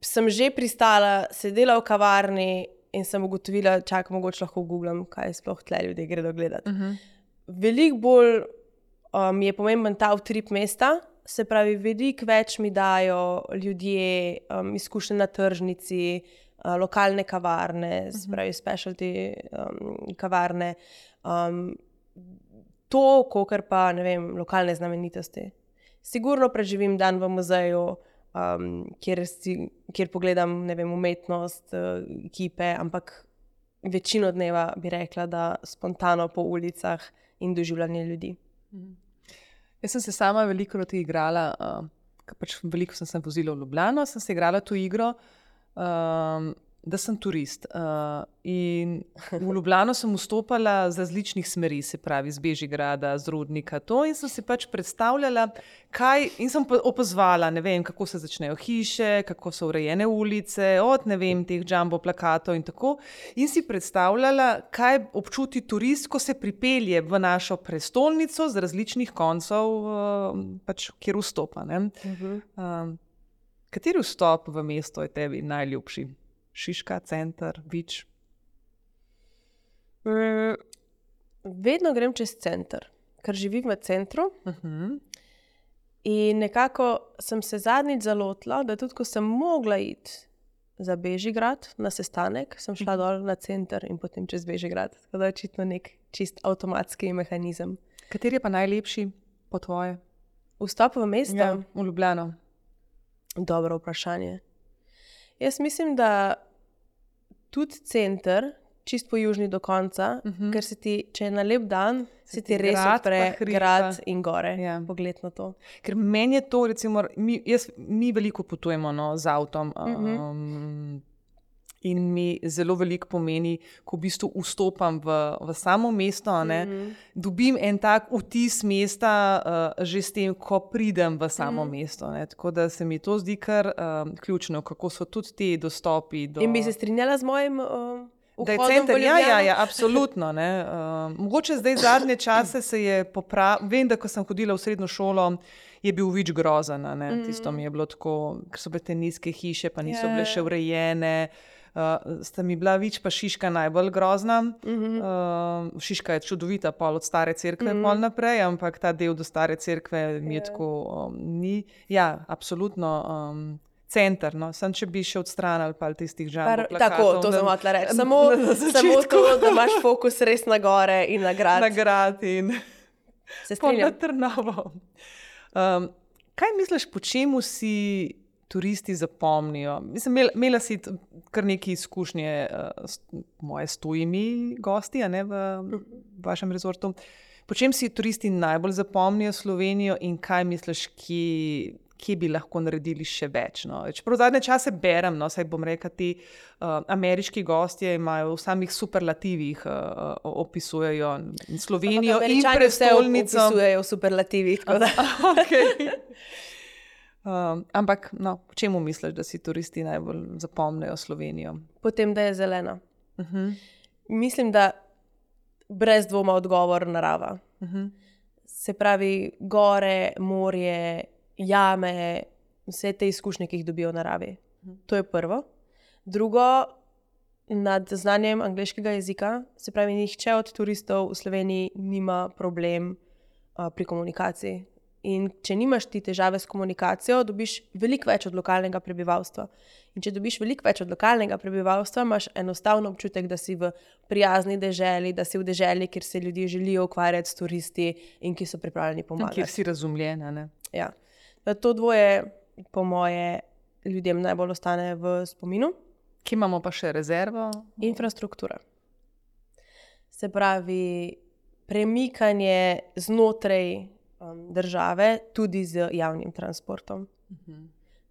sem že pristala, sedela v kavarni in sem ugotovila, čakaj, mogoče lahko googlam, kaj sploh tle ljudje gredo gledati. Veliko bolj mi je pomemben ta utrip mesta, se pravi, veliko več mi dajo ljudje, izkušnje na tržnici, lokalne kavarne, se pravi, specialty kavarne, to, kakor pa, ne vem, lokalne znamenitosti. Sigurno preživim dan v muzeju, kjer pogledam, ne vem, umetnost, kipe, ampak večino dneva bi rekla, da spontano po ulicah in doživljanje ljudi. Jaz sem se sama veliko igrala, pač veliko sem se vozila v Ljubljano, sem se igrala to igro, da sem turist. In v Ljubljano sem vstopala z različnih smeri, se pravi, z Bežigrada, z Rudnika, to, in sem si pač predstavljala, in sem opazvala, ne vem, kako se začnejo hiše, kako so urejene ulice, od, ne vem, teh jumbo plakatov in tako. In si predstavljala, kaj občuti turist, ko se pripelje v našo prestolnico z različnih koncev, pač, kjer vstopa. Kateri vstop v mesto je tebi najljubši? Šiška, center, Vič? Vedno grem čez center, ker živim v centru. In nekako sem se zadnjič zalotila, da tudi ko sem mogla iti za Bežigrad na sestanek, sem šla dol na center in potem čez Bežigrad. Tako da je očitno nek čist avtomatski mehanizem. Kateri je pa najlepši po tvoje? Vstop v mesto? Ja, v Ljubljano. Dobro vprašanje. Jaz mislim, da tudi center, čist po južni do konca, ker se ti, če je na lep dan, se ti res odpre grad in gore. Pogled na to. Ker meni je to, recimo, mi veliko potujemo z avtom in mi zelo veliko pomeni, ko v bistvu vstopam v samo mesto, dobim en tak vtis mesta že s tem, ko pridem v samo mesto. Tako da se mi to zdi kar ključno, kako so tudi ti dostopi do... In bi se strinjala z mojim da je center, ja, absolutno. Mogoče zdaj zadnje čase se je vem, da ko sem hodila v srednjo šolo, je bil Vič grozen. Tisto mi je bilo tako, ker so bile te nizke hiše, pa niso bile še urejene. Sta mi bila Vič pa Šiška najbolj grozna. Šiška je čudovita, pol od stare cerkve pol naprej, ampak ta del do stare cerkve mi je tako ni. Ja, absolutno center, Sam če bi še odstranili pa tistih jumbo plakatov. Tako, to sem hotela reči. Samo to, da imaš fokus res na gore in na grad. Na grad in se strinjam. Na Trnovo. Kaj misliš, po čemu si turisti zapomnijo? Mislim, imela si kar nekaj izkušnje s tujimi gosti, v vašem rezortu. Po čem si turisti najbolj zapomnijo Slovenijo in kaj misliš, kje bi lahko naredili še več? Čeprav zadnje čase berem, saj bom rekla, ti ameriški gostje imajo v samih superlativih opisujejo Slovenijo in prestolnico. Vse opisujejo v superlativih. Okay. Ampak, po čemu misliš, da si turisti najbolj zapomnijo Slovenijo? Potem, da je zelena. Mislim, da brez dvoma odgovor narava. Se pravi, gore, morje, jame, vse te izkušnje, ki jih dobijo v naravi. To je prvo. Drugo, nad znanjem angleškega jezika, se pravi, nihče od turistov v Sloveniji nima problem pri komunikaciji. In če nimaš ti težave s komunikacijo, dobiš veliko več od lokalnega prebivalstva. In če dobiš veliko več od lokalnega prebivalstva, imaš enostavno občutek, da si v prijazni deželi, da si v deželi, kjer se ljudje želijo ukvarjati s turisti in ki so pripravljeni pomagati. Kjer si razumljena, Ja. To dvoje, po moje, ljudem najbolj ostane v spominu. Kje imamo pa še rezervo? Infrastruktura. Se pravi, premikanje znotraj države tudi z javnim transportom.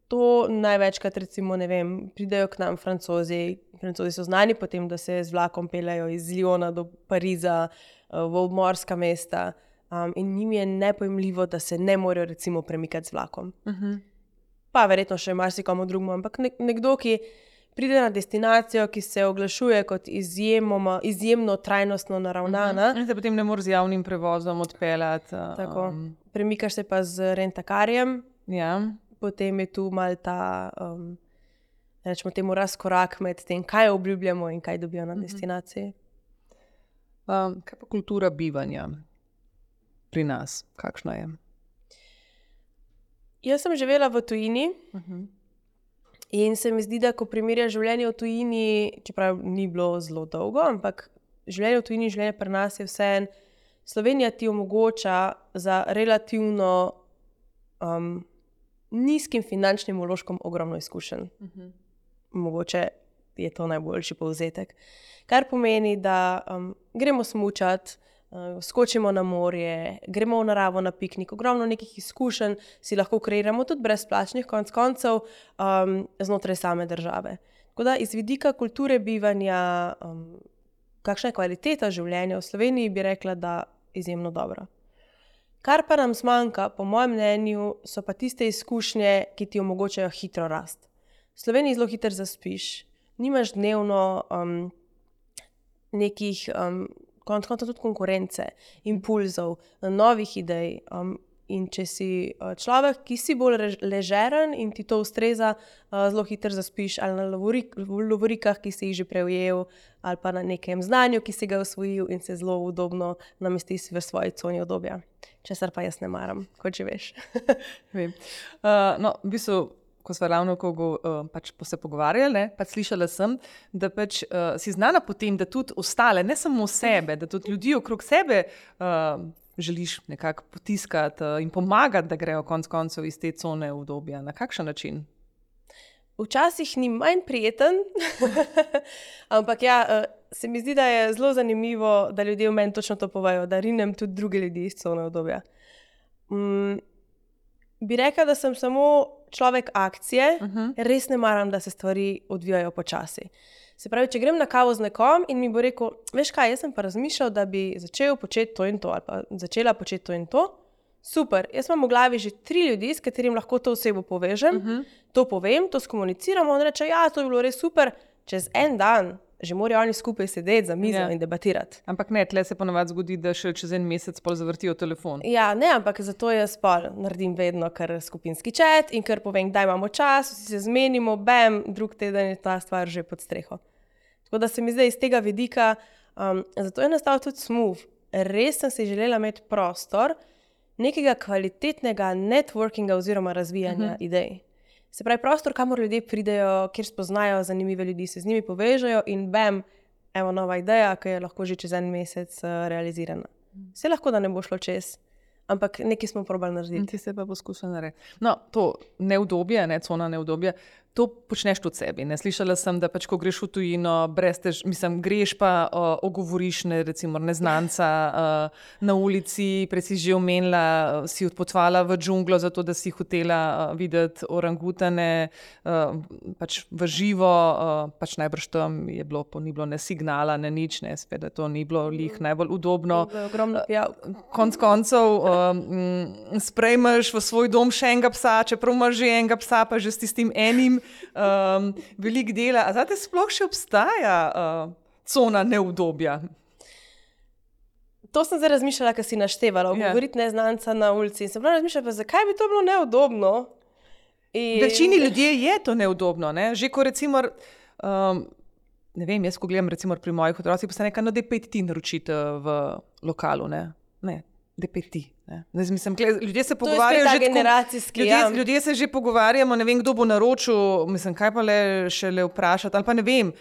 To največkrat, recimo, ne vem, pridejo k nam Francozi. Francozi so znani po tem, da se z vlakom peljajo iz Lyona do Pariza, v obmorska mesta. In njim je nepojmljivo, da se ne morejo recimo premikati z vlakom. Pa verjetno še marsikomu drugemu, ampak nekdo, ki pride na destinacijo, ki se oglašuje kot izjemno trajnostno naravnana. In se potem ne moreš z javnim prevozom odpeljati. Tako. Premikaš se pa z rentakarjem. Ja. Potem je tu mal ta, rečemo temu, razkorak med tem, kaj obljubljamo in kaj dobijo na destinaciji. Kaj pa kultura bivanja pri nas? Kakšna je? Jaz sem živela v tujini in se mi zdi, da ko primerjaš življenje v tujini, čeprav ni bilo zelo dolgo, ampak življenje v tujini, življenje pri nas je vseeno, Slovenija ti omogoča za relativno nizkim finančnim vložkom ogromno izkušenj. Mogoče je to najboljši povzetek. Kar pomeni, da gremo smučati, skočimo na morje, gremo v naravo na piknik, ogromno nekih izkušenj si lahko kreiramo tudi brezplačnih konec koncev znotraj same države. Tako da iz vidika kulture bivanja, kakšna je kvaliteta življenja v Sloveniji, bi rekla, da izjemno dobra. Kar pa nam zmanjka, po mojem mnenju, so pa tiste izkušnje, ki ti omogočajo hitro rast. V Sloveniji zelo hitro zaspiš, nimaš dnevno nekih konec koncev tudi konkurence, impulzov, novih idej. In če si človek, ki si bolj ležeren in ti to ustreza, zelo hitro zaspiš ali na lovorikah, ki si jih že preujel, ali pa na nekem znanju, ki si ga osvojil in se zelo udobno namestiš v svoji coni udobja. Česar pa jaz ne maram, kot že veš. Vem. No, v bistvu, ko smo ravno pač se pogovarjali, pač slišala sem, da pač si znana po tem, da tudi ostale, ne samo sebe, da tudi ljudi okrog sebe želiš nekako potiskati in pomagati, da grejo konec koncev iz te cone udobja. Na kakšen način? Včasih ni manj prijeten, ampak ja, se mi zdi, da je zelo zanimivo, da ljudje v meni točno to povejo, da rinem tudi druge ljudi iz cone udobja. Bi rekla, da sem samo človek akcije, res ne maram, da se stvari odvijajo počasi. Se pravi, če grem na kavo z nekom in mi bo rekel, veš kaj, jaz sem pa razmišljal, da bi začel početi to in to, ali pa začela početi to in to. Super, jaz imam v glavi že 3 ljudi, s katerim lahko to osebo povežem, to povem, to skomuniciramo, on reče, ja, to je bilo res super, čez en dan že morajo oni skupaj sedeti za mizo in debatirati. Ampak ne, tle se ponavadi zgodi, da še čez en mesec pol zavrtijo telefon. Ja, ne, ampak zato jaz pol naredim vedno kar skupinski chat in kar povem, kdaj imamo čas, vsi se zmenimo, bam, drug teden je ta stvar že pod streho. Tako da se mi zdaj iz tega vidika, zato je nastal tudi Smooth. Res sem si želela imeti prostor nekega kvalitetnega networkinga oziroma razvijanja idej. Se pravi, prostor, kamor ljudje pridejo, kjer spoznajo zanimive ljudi, se z njimi povežejo in bam, evo nova ideja, ki je lahko že čez en mesec realizirana. Vse lahko, da ne bo šlo čez, ampak nekaj smo probali narediti. Ti se pa poskušali narediti. No, to neudobje, cona neudobja, to počneš tudi sebi. Ne? Slišala sem, da pač, ko greš v tujino, greš pa ogovoriš recimo neznanca na ulici, prej si že omenila, si odpotovala v džunglo, zato da si hotela videti orangutane pač v živo, pač najbrž tam je bilo, ni bilo ne signala, ne nič, ne, spet, da to ni bilo lih najbolj udobno. Ogromno pijavk. Konec koncev sprejmeš v svoj dom še enega psa, čeprav imaš že enega psa, pa že s tistim enim veliko dela. A zate sploh še obstaja cona neudobja? To sem zdaj razmišljala, ko si naštevala, govoriti neznanca na ulici. In sem prav razmišljala, zakaj bi to bilo neudobno? Večini ljudje je to neudobno. Ne? Že ko recimo, ne vem, jaz ko gledam recimo pri mojih otrocih, pa se nekaj, no, da 5 ti naročite v lokalu, ne, da 5 ti. Mislim, ljudje se pogovarjajo že generacijski. Ljudje se že pogovarjamo, ne vem, kdo bo naročil, mislim, kaj pa še vprašati, ali pa ne vem.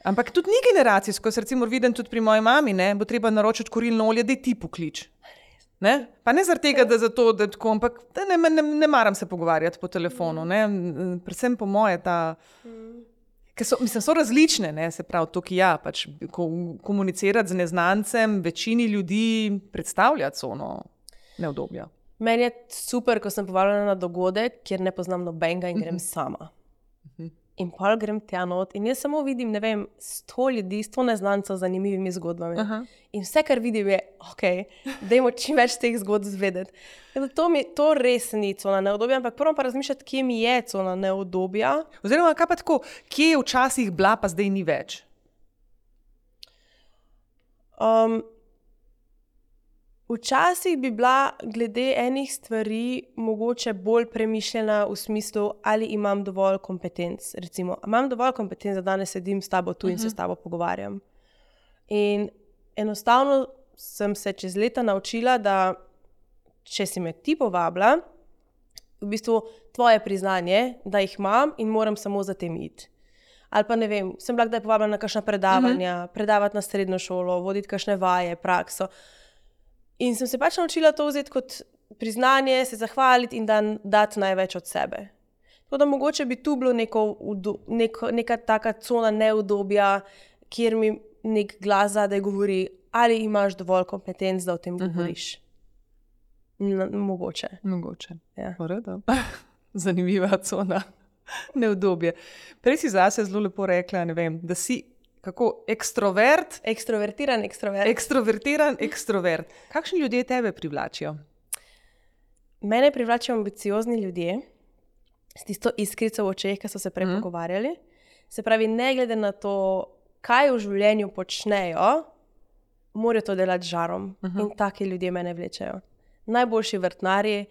Ampak tudi ni generacijsko, se recimo vidim tudi pri moji mami, ne, bo treba naročiti kurilno olje, da ti poklič. Ne? Pa ne zaradi tega, da zato, da tako, ampak da ne maram se pogovarjati po telefonu. Ne? Predvsem po moje ta, ker so različne, ne? Se pravi, to, ki pač komunicirati z neznancem, večini ljudi predstavljati ono neudobje. Meni je super, ko sem povabljena na dogodek, kjer ne poznam nobenega in grem sama. In pol grem tja not in jaz samo vidim, ne vem, 100 ljudi, 100 neznancev z zanimivimi zgodbami. In vse, kar vidim, je, dajmo čim več teh zgodb zvedeti. To res ni cona neudobja, ampak prvo pa razmišljati, kje mi je cona neudobja. Oziroma, kaj pa tako, kje je včasih bila, pa zdaj ni več? Včasih bi bila glede enih stvari mogoče bolj premišljena v smislu, ali imam dovolj kompetenc. Recimo, imam dovolj kompetenc, da danes sedim s tabo tu in se s tabo pogovarjam. In enostavno sem se čez leta naučila, da če si me ti povabila, v bistvu tvoje priznanje, da jih imam in moram samo za tem iti. Ali pa ne vem, sem bila kdaj povabljena na kakšna predavanja, predavati na srednjo šolo, voditi kakšne vaje, prakso. In sem se pač naučila to vzeti kot priznanje, se zahvaliti in dati največ od sebe. Tako da mogoče bi tu bilo neka taka cona neudobja, kjer mi nek glas zadaj govori, ali imaš dovolj kompetenc, da o tem govoriš. Mogoče. Ja. Zanimiva cona neudobje. Prej si zase zelo lepo rekla, ne vem, da si kako ekstrovert? Ekstrovertiran ekstrovert. Kakšni ljudje tebe privlačijo? Mene privlačijo ambiciozni ljudje, s tisto iskrico v očeh, ki so se prej pogovarjali. Se pravi, ne glede na to, kaj v življenju počnejo, morajo to delati z žarom. In taki ljudje mene vlečejo. Najboljši vrtnarji,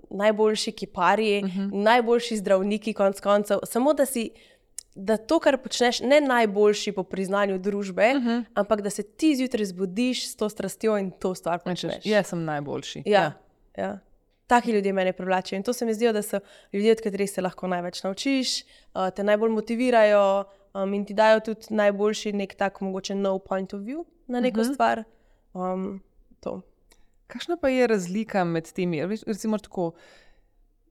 najboljši kiparji, najboljši zdravniki, konec koncev. Samo da to, kar počneš, ne najboljši po priznanju družbe, ampak da se ti zjutraj zbudiš s to strastjo in to stvar počneš. Jaz sem najboljši. Ja. Taki ljudje mene privlačijo. In to se mi zdijo, da so ljudje, od katerih se lahko največ naučiš, te najbolj motivirajo in ti dajo tudi najboljši nek tak mogoče no point of view na neko stvar. To. Kakšna pa je razlika med temi? Recimo tako,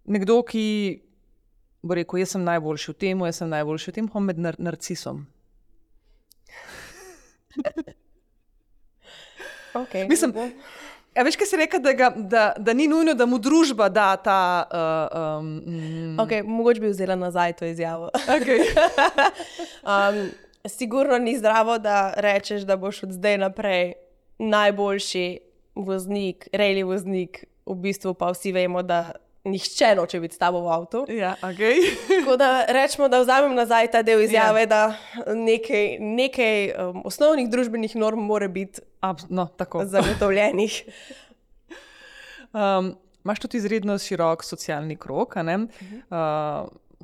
nekdo, ki bo rekel, jaz sem najboljši v tem, pa med narcisom. Mislim, veš, kaj si rekel, da ni nujno, da mu družba da ta... Mogoče bi vzela nazaj to izjavo. Sigurno ni zdravo, da rečeš, da boš od zdaj naprej najboljši voznik, rally voznik, v bistvu pa vsi vemo, da nihče noče biti s tabo v avtu. Ja, Tako da rečemo, da vzamem nazaj ta del izjave, da nekaj osnovnih družbenih norm mora biti zagotovljenih. Imaš tudi izredno širok socialni krog, a ne?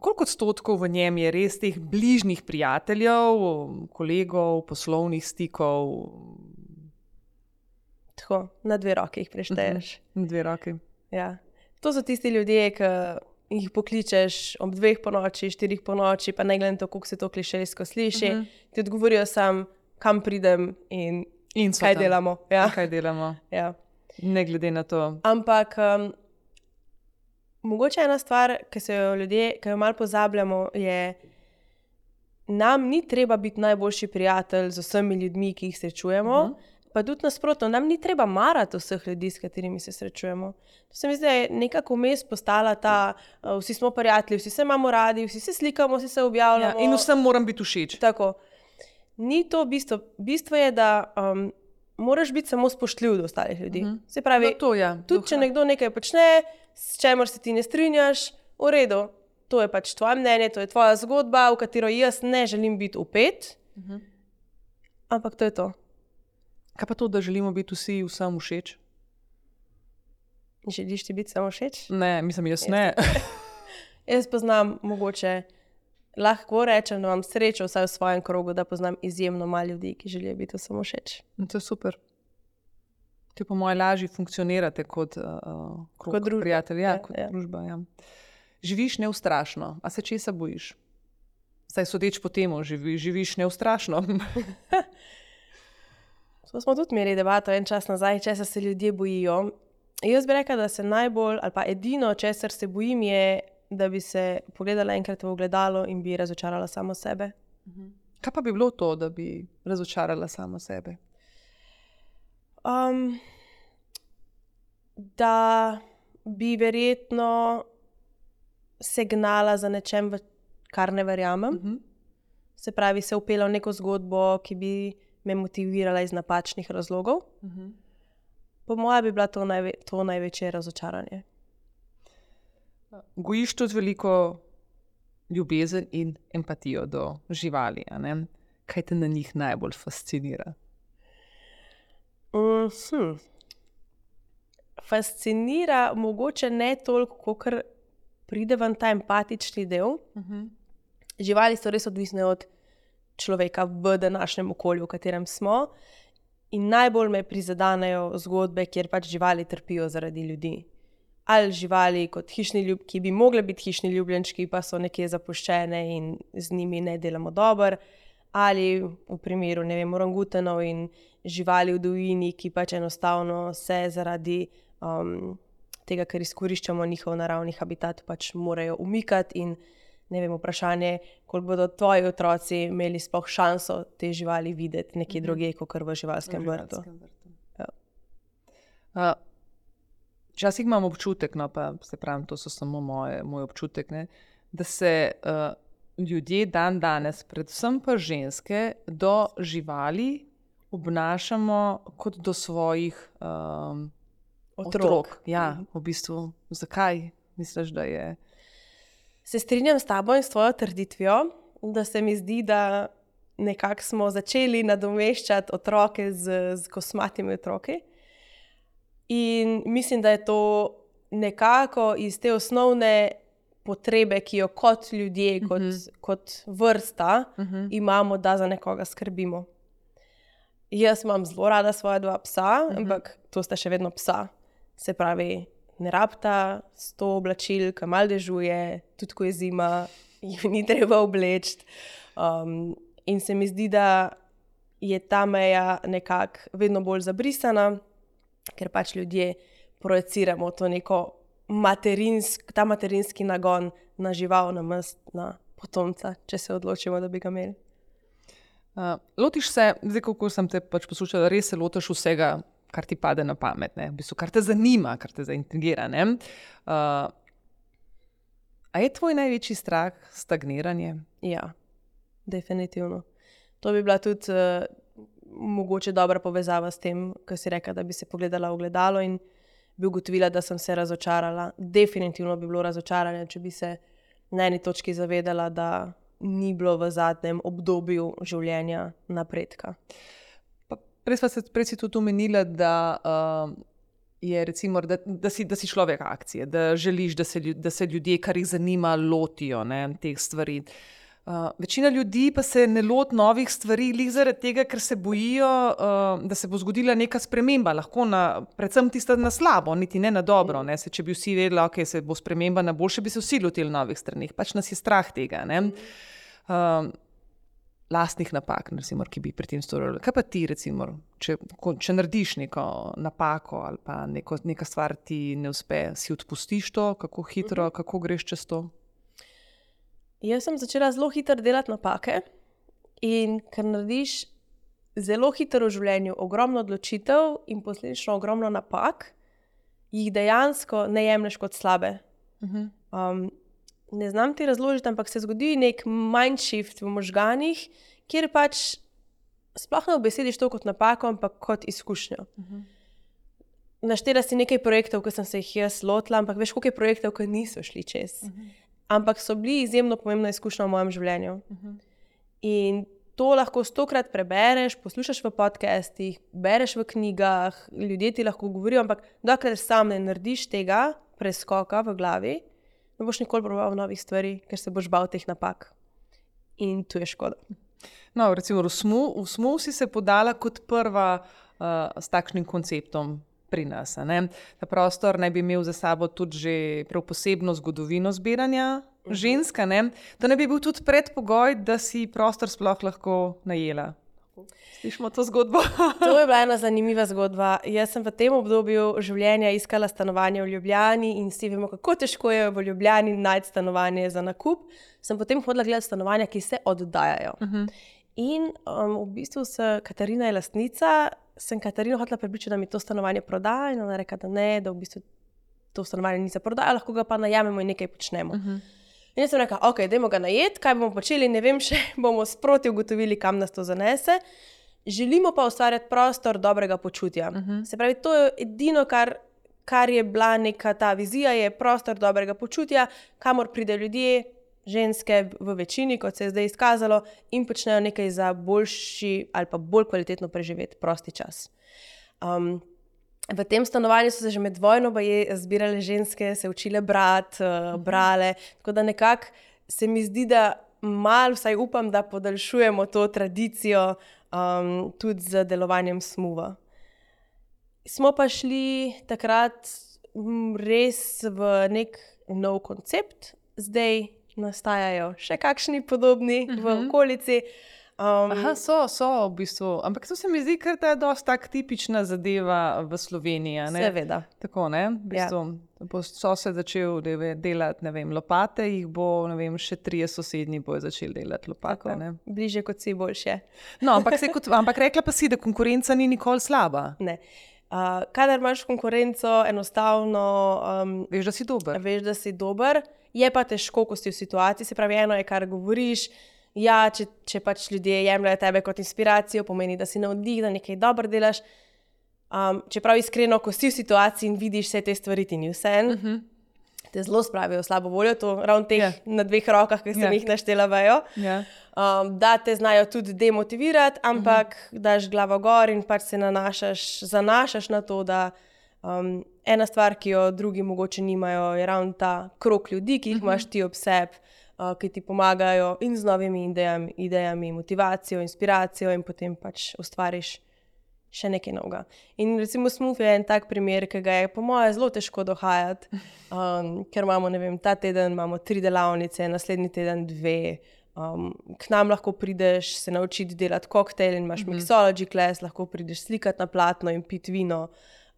Koliko odstotkov v njem je res teh bližnjih prijateljev, kolegov, poslovnih stikov? Tako, na 2 roke jih prešteješ. Na 2 roke. Ja. To so tisti ljudje, ki jih pokličeš ob 2 ponoči, 4 ponoči, pa ne glede na to, koliko se to klišejsko sliši, ti odgovorijo sam, kam pridem in kaj delamo. Ja. Kaj delamo. Ja. Ne glede na to. Ampak mogoče ena stvar, ki jo malo pozabljamo, je, nam ni treba biti najboljši prijatelj z vsemi ljudmi, ki jih srečujemo, pa tudi nasprotno, nam ni treba marati vseh ljudi, s katerimi se srečujemo. To se mi zdi, da je nekako vmes postala ta, vsi smo prijatelji, vsi se imamo radi, vsi se slikamo, vsi se objavljamo. Ja, in vsem moram biti všeč. Tako. Ni to bistvo. Bistvo je, da moraš biti samo spoštljiv do ostalih ljudi. Se pravi, tudi če nekdo nekaj počne, s čemer se ti ne strinjaš, v redu, to je pač tvoje mnenje, to je tvoja zgodba, v katero jaz ne želim biti vpet, ampak to je to. Kaj pa to, da želimo biti vsi vsem všeč? Želiš ti biti samo všeč? Ne, mislim, jaz ne. Jaz poznam mogoče, lahko rečem, da imam srečo vsaj v svojem krogu, da poznam izjemno malo ljudi, ki želijo biti samo všeč. To je super. Ti po moje lažje funkcionirate kot prijatelji, kot družba. Ja. Živiš neustrašno. A se česa bojiš? Saj sodeč po temu, živiš neustrašno. To smo tudi imeli debato en čas nazaj, česa se ljudje bojijo. Jaz bi rekla, da se najbolj, ali pa edino, česar se bojim, je, da bi se pogledala enkrat v ogledalo in bi razočarala samo sebe. Kaj pa bi bilo to, da bi razočarala samo sebe? Da bi verjetno se gnala za nečem, v kar ne verjamem. Se pravi, se upela v neko zgodbo, ki bi me motivirala iz napačnih razlogov. Po mojem bi bila to največje razočaranje. Gojiš tudi veliko ljubezen in empatijo do živali, a ne? Kaj te na njih najbolj fascinira? Fascinira mogoče ne toliko, kolikor pride ven ta empatični del. Živali so res odvisne od človeka v današnjem okolju, v katerem smo. In najbolj me prizadanejo zgodbe, kjer pač živali trpijo zaradi ljudi. Ali živali kot ki bi mogle biti hišni ljubljenčki, pa so nekje zapuščene in z njimi ne delamo dobro. Ali v primeru, ne vem, orangutanov in živali v divjini, ki pač enostavno se zaradi tega, ker izkoriščamo njihov naravni habitat, pač morajo umikati in ne vem, vprašanje, koliko bodo tvoji otroci imeli sploh šanso te živali videti nekje drugje, kot v živalskem vrtu. Včasih imam občutek, no pa se pravim, to so samo moj občutek, ne, da se ljudje danes, predvsem pa ženske, do živali obnašamo kot do svojih otrok. Ja, v bistvu, zakaj misliš, da je? Se strinjam s tabo in s tvojo trditvijo, da se mi zdi, da nekako smo začeli nadomeščati otroke z kosmatimi otroki. In mislim, da je to nekako iz te osnovne potrebe, ki jo kot ljudje, kot vrsta imamo, da za nekoga skrbimo. Jaz imam zelo rada svoja 2 psa, ampak to sta še vedno psa. Se pravi, ne rabita 100 oblačil, ki malo dežuje, tudi ko je zima, jih ni treba obleči. In se mi zdi, da je ta meja nekako vedno bolj zabrisana, ker pač ljudje projeciramo to neko ta materinski nagon na žival, na potomca, če se odločimo, da bi ga imeli. Lotiš se, zdaj kako sem te pač poslušala, res se lotiš vsega, kar ti pade na pamet, ne? V bistvu, kar te zanima, kar te zaintrigira, ne? A je tvoj največji strah stagniranje? Ja, definitivno. To bi bila tudi mogoče dobra povezava s tem, ko si rekla, da bi se pogledala v ogledalo in bi ugotovila, da sem se razočarala. Definitivno bi bilo razočaranje, če bi se na eni točki zavedala, da ni bilo v zadnjem obdobju življenja napredka. Prej si tudi omenila, da je recimo, da si človek akcije, da želiš, da se ljudje, kar jih zanima, lotijo, ne, teh stvari. Večina ljudi pa se ne loti novih stvari lih zaradi tega, ker se bojijo, da se bo zgodila neka sprememba, lahko predvsem tista na slabo, niti ne na dobro. Ne? Če bi vsi vedeli, ok, se bo sprememba na boljše, bi se vsi lotili novih stranih. Pač nas je strah tega. Ne? Lastnih napak, recimo, ki bi pri tem storili. Kaj pa ti, recimo, če narediš neko napako ali pa neka stvar ti ne uspe, si odpustiš to, kako hitro, kako greš čez to? Jaz sem začela zelo hitro delati napake in ker narediš zelo hitro v življenju ogromno odločitev in posledično ogromno napak, jih dejansko ne jemlješ kot slabe. Ne znam ti razložiti, ampak se zgodi nek mindshift v možganih, kjer pač sploh ne obesediš to kot napako, ampak kot izkušnjo. Naštela si nekaj projektov, ki sem se jih jaz lotila, ampak veš, koliko je projektov, ki niso šli čez. Ampak so bili izjemno pomembna izkušnja v mojem življenju. In to lahko 100-krat prebereš, poslušaš v podcastih, bereš v knjigah, ljudje ti lahko govorijo, ampak dokler sam ne narediš tega preskoka v glavi, ne boš nikoli probal novih stvari, ker se boš bal teh napak. In tu je škoda. No, recimo v SMU si se podala kot prva s takšnim konceptom pri nas. Ne? Ta prostor naj bi imel za sabo tudi že prav posebno zgodovino zbiranja ženska. Ne? To naj bi bil tudi predpogoj, da si prostor sploh lahko najela. Slišimo to zgodbo. To je bila ena zanimiva zgodba. Jaz sem v tem obdobju življenja iskala stanovanje v Ljubljani in vsi vemo, kako težko je v Ljubljani najti stanovanje za nakup. Sem potem hodila gledati stanovanja, ki se oddajajo. In v bistvu Katarina je lastnica, sem Katarino hotela prepričati, da mi to stanovanje proda in ona reka, da ne, da v bistvu to stanovanje ni za prodajo, lahko ga pa najamemo in nekaj počnemo. In jaz sem rekla, ok, dajmo ga najeti, kaj bomo počeli, ne vem še, bomo sproti ugotovili, kam nas to zanese. Želimo pa ustvarjati prostor dobrega počutja. Se pravi, to je edino, kar je bila neka ta vizija, je prostor dobrega počutja, kamor pride ljudje, ženske v večini, kot se je zdaj izkazalo, in počnejo nekaj za boljši ali pa bolj kvalitetno preživeti prosti čas. V tem stanovanju so se že med vojno zbirale ženske, se učile brati, brale, tako da nekako se mi zdi, da malo, vsaj upam, da podaljšujemo to tradicijo tudi z delovanjem SMUV-a. Smo pa šli takrat res v nek nov koncept, zdaj nastajajo še kakšni podobni v okolici. So v bistvu, ampak to se mi zdi, ker je dosti tak tipična zadeva v Sloveniji. Seveda. Tako, ne? V bistvu, so se začel delati, ne vem, lopate, jih bo, ne vem, še 3 sosednji bojo začeli delati lopate. Ne? Bliže kot si boljše. No, ampak rekla pa si, da konkurenca ni nikoli slaba. Ne. Kadar imaš konkurenco, enostavno veš, da si dober. Veš, da si dober, je pa težko, ko si v situaciji. Se pravi, eno je, kar govoriš. Ja, če pač ljudje jemljajo tebe kot inspiracijo, pomeni, da si navdih, da nekaj dobro delaš. Čeprav iskreno, ko si v situaciji in vidiš vse te stvari, ti ni vseeno, te zelo spravijo v slabo voljo, to ravno teh na 2 rokah, ki sem jih naštela vejo. Da te znajo tudi demotivirati, ampak daš glavo gor in pač se zanašaš na to, da ena stvar, ki jo drugi mogoče nimajo, je ravno ta krog ljudi, ki jih imaš ti ob sebi, ki ti pomagajo in z novimi idejami, motivacijo, inspiracijo in potem pač ustvariš še nekaj novega. In recimo SMUV je en tak primer, ki ga je po moje zelo težko dohajati, ker imamo, ne vem, ta teden imamo 3 delavnice, naslednji teden 2, k nam lahko prideš se naučiti delati koktejl in imaš mixology class, lahko prideš slikati na platno in piti vino,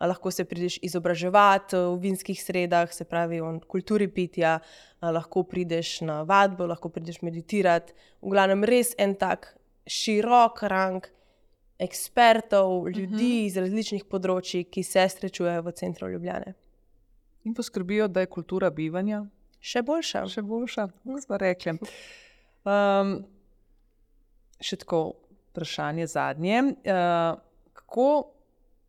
lahko se prideš izobraževati v vinskih sredah, se pravi o kulturi pitja, lahko prideš na vadbo, lahko prideš meditirati. V glavnem res en tak širok rang ekspertov, ljudi iz različnih področji, ki se srečujejo v centru Ljubljane. In poskrbijo, da je kultura bivanja še boljša. Smo rekli. Še tako vprašanje zadnje. Kako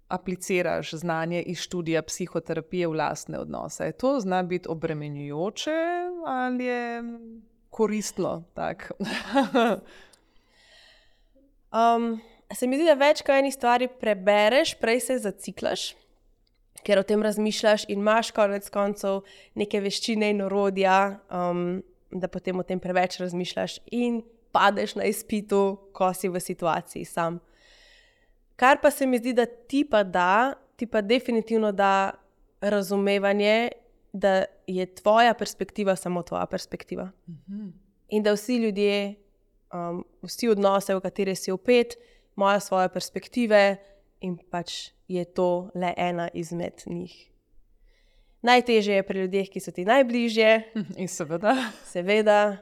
apliciraš znanje iz študija psihoterapije v lastne odnose? To zna biti obremenjujoče ali je koristno? Se mi zdi, da več kot eni stvari prebereš, prej se zaciklaš, ker o tem razmišljaš in imaš konec koncev neke veščine in orodja, da potem o tem preveč razmišljaš in padeš na izpitu, ko si v situaciji sam. Kar pa se mi zdi, da ti pa definitivno da razumevanje, da je tvoja perspektiva samo tvoja perspektiva. In da vsi ljudje, vsi odnose, v katere si vpet, imajo svoje perspektive in pač je to le ena izmed njih. Najtežje je pri ljudeh, ki so ti najbližje. In seveda.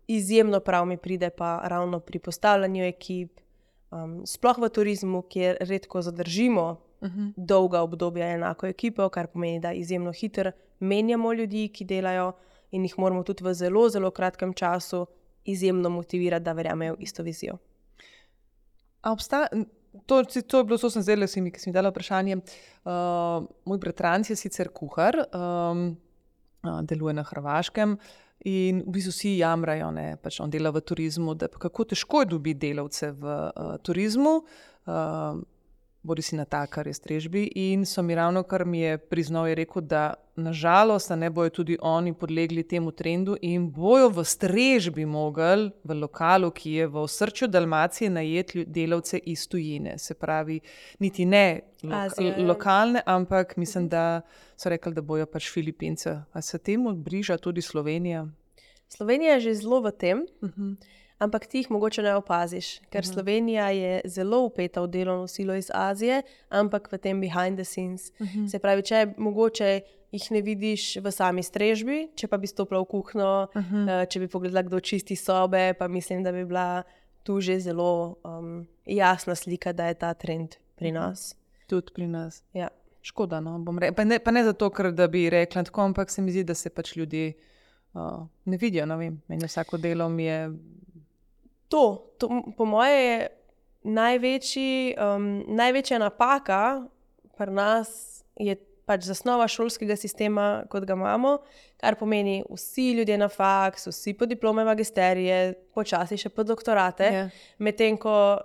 Izjemno prav mi pride pa ravno pri postavljanju ekip, sploh v turizmu, kjer redko zadržimo dolga obdobja enako ekipo, kar pomeni, da izjemno hitro menjamo ljudi, ki delajo in jih moramo tudi v zelo, zelo kratkem času izjemno motivirati, da verjamejo v isto vizijo. To je bilo, so sem zdaj, ki sem mi dala vprašanje. Moj bratranc je sicer kuhar, deluje na Hrvaškem in v bistvu vsi jamrajo, pač on dela v turizmu, da kako težko je dobiti delavce v turizmu, bodi si natakar, je strežbi, in so mi ravno, kar mi je priznal, je rekel, da nažalost ne bojo tudi oni podlegli temu trendu in bojo v strežbi mogli v lokalu, ki je v osrčju Dalmacije, najeti delavce iz tujine. Se pravi, niti ne lokalne, ampak mislim, da so rekli, da bojo pač Filipince. A se temu bliža tudi Slovenija? Slovenija je že zelo v tem. ampak ti jih mogoče ne opaziš, ker Slovenija je zelo vpeta v delovno silo iz Azije, ampak v tem behind the scenes. Se pravi, če mogoče jih ne vidiš v sami strežbi, če pa bi stopila v kuhno, če bi pogledala, kdo čisti sobe, pa mislim, da bi bila tu že zelo jasna slika, da je ta trend pri nas. Tudi pri nas. Ja. Škoda, no, pa ne zato, ker da bi rekla tako, ampak se mi zdi, da se pač ljudje ne vidijo, ne vem, meni vsako delo mi je... To po moje je največja napaka pri nas je pač zasnova šolskega sistema, kot ga imamo, kar pomeni vsi ljudje na faks, vsi po diplome magisterije, počasi še po doktorate, medtem ko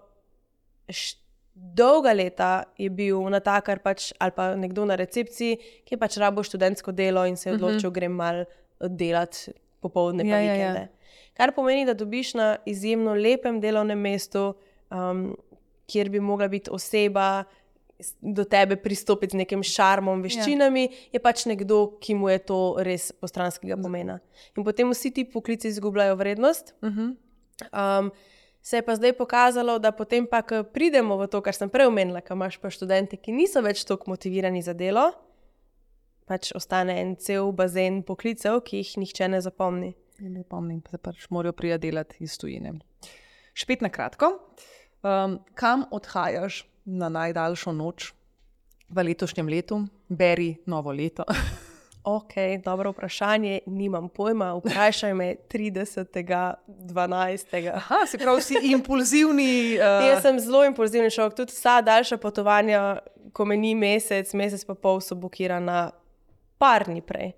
dolga leta je bil natakar pač, ali pa nekdo na recepciji, ki je pač rabo študentsko delo in se je odločil, grem malo delati popoldne pa vikende. Kar pomeni, da dobiš na izjemno lepem delovnem mestu, kjer bi mogla biti oseba do tebe pristopiti z nekim šarmom, veščinami, je pač nekdo, ki mu je to res postranskega pomena. In potem vsi ti poklici izgubljajo vrednost. Se je pa zdaj pokazalo, da potem pa, ko pridemo v to, kar sem prej omenila, ko imaš pa študente, ki niso več toliko motivirani za delo, pač ostane en cel bazen poklicev, ki jih nihče ne zapomni. Ne pomnim, pa se pač morajo prija delati iz tujine. Špet na kratko, kam odhajaš na najdaljšo noč v letošnjem letu? Beri novo leto. Ok, dobro vprašanje, nimam pojma, vprašaj me 30.12. Aha, se pravi, si impulzivni... Jaz sem zelo impulzivni človek, tudi vsa daljša potovanja, ko me ni mesec pa pol so blokirana par dni prej.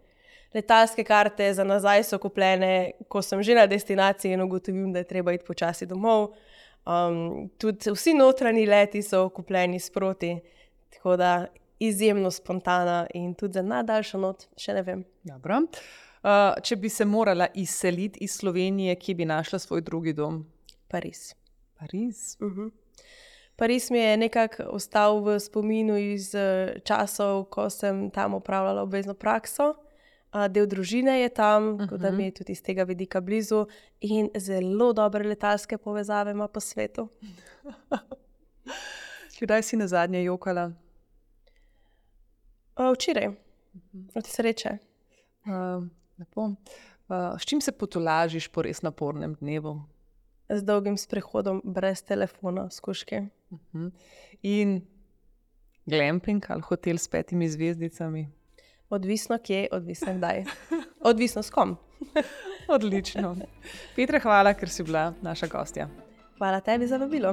Letalske karte za nazaj so kupljene, ko sem že na destinaciji in ugotovim, da je treba iti počasi domov. Tudi vsi notranji leti so kupljeni sproti, tako da izjemno spontana in tudi za najdaljšo noč, še ne vem. Dobro. Če bi se morala izseliti iz Slovenije, kje bi našla svoj drugi dom? Pariz. Pariz? Pariz mi je nekako ostal v spominu iz časov, ko sem tam opravljala obvezno prakso. Del družine je tam, tako da mi je tudi iz tega vidika blizu in zelo dobre letalske povezave ima po svetu. Kdaj si nazadnje jokala? Včeraj, od sreče. Lepo. S čim se potolažiš po res napornem dnevu? Z dolgim sprehodom brez telefona, skuške. In glamping ali hotel s 5 zvezdicami? Odvisno kje, odvisno kdaj. Odvisno s kom. Odlično. Petra, hvala, ker si bila naša gostja. Hvala tebi za vabilo.